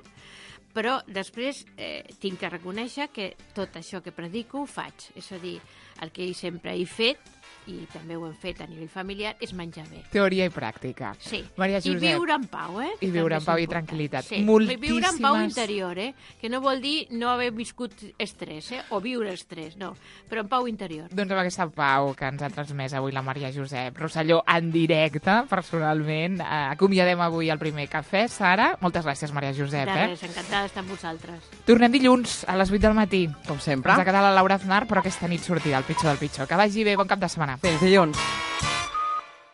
S20: Però després eh, tinc que reconèixer que tot això que predico ho faig, és a dir, el que sempre he fet, i també ho hem fet a nivell familiar, és menjar bé.
S2: Teoria i pràctica.
S20: Sí,
S2: Maria Josep.
S20: I viure en pau, eh?
S2: I viure en pau i tranquil·litat.
S20: Sí,
S2: moltíssimes...
S20: viure en pau interior, eh? Que no vol dir no haver viscut estrès, eh? O viure estrès, no, però en pau interior.
S2: Doncs amb aquesta pau que ens ha transmès avui la Maria Josep Rosselló en directe, personalment. Eh, acomiadem avui el primer cafè. Sara, moltes gràcies, Maria Josep.
S20: De res,
S2: eh?
S20: encantada d'estar amb vosaltres.
S2: Tornem dilluns a les vuit del matí.
S3: Com sempre.
S2: Ens ha quedat la Laura Aznar, però aquesta nit sortirà el pitjor del pitjor. Que vagi bé, bon cap de setmana.
S3: Fins dilluns.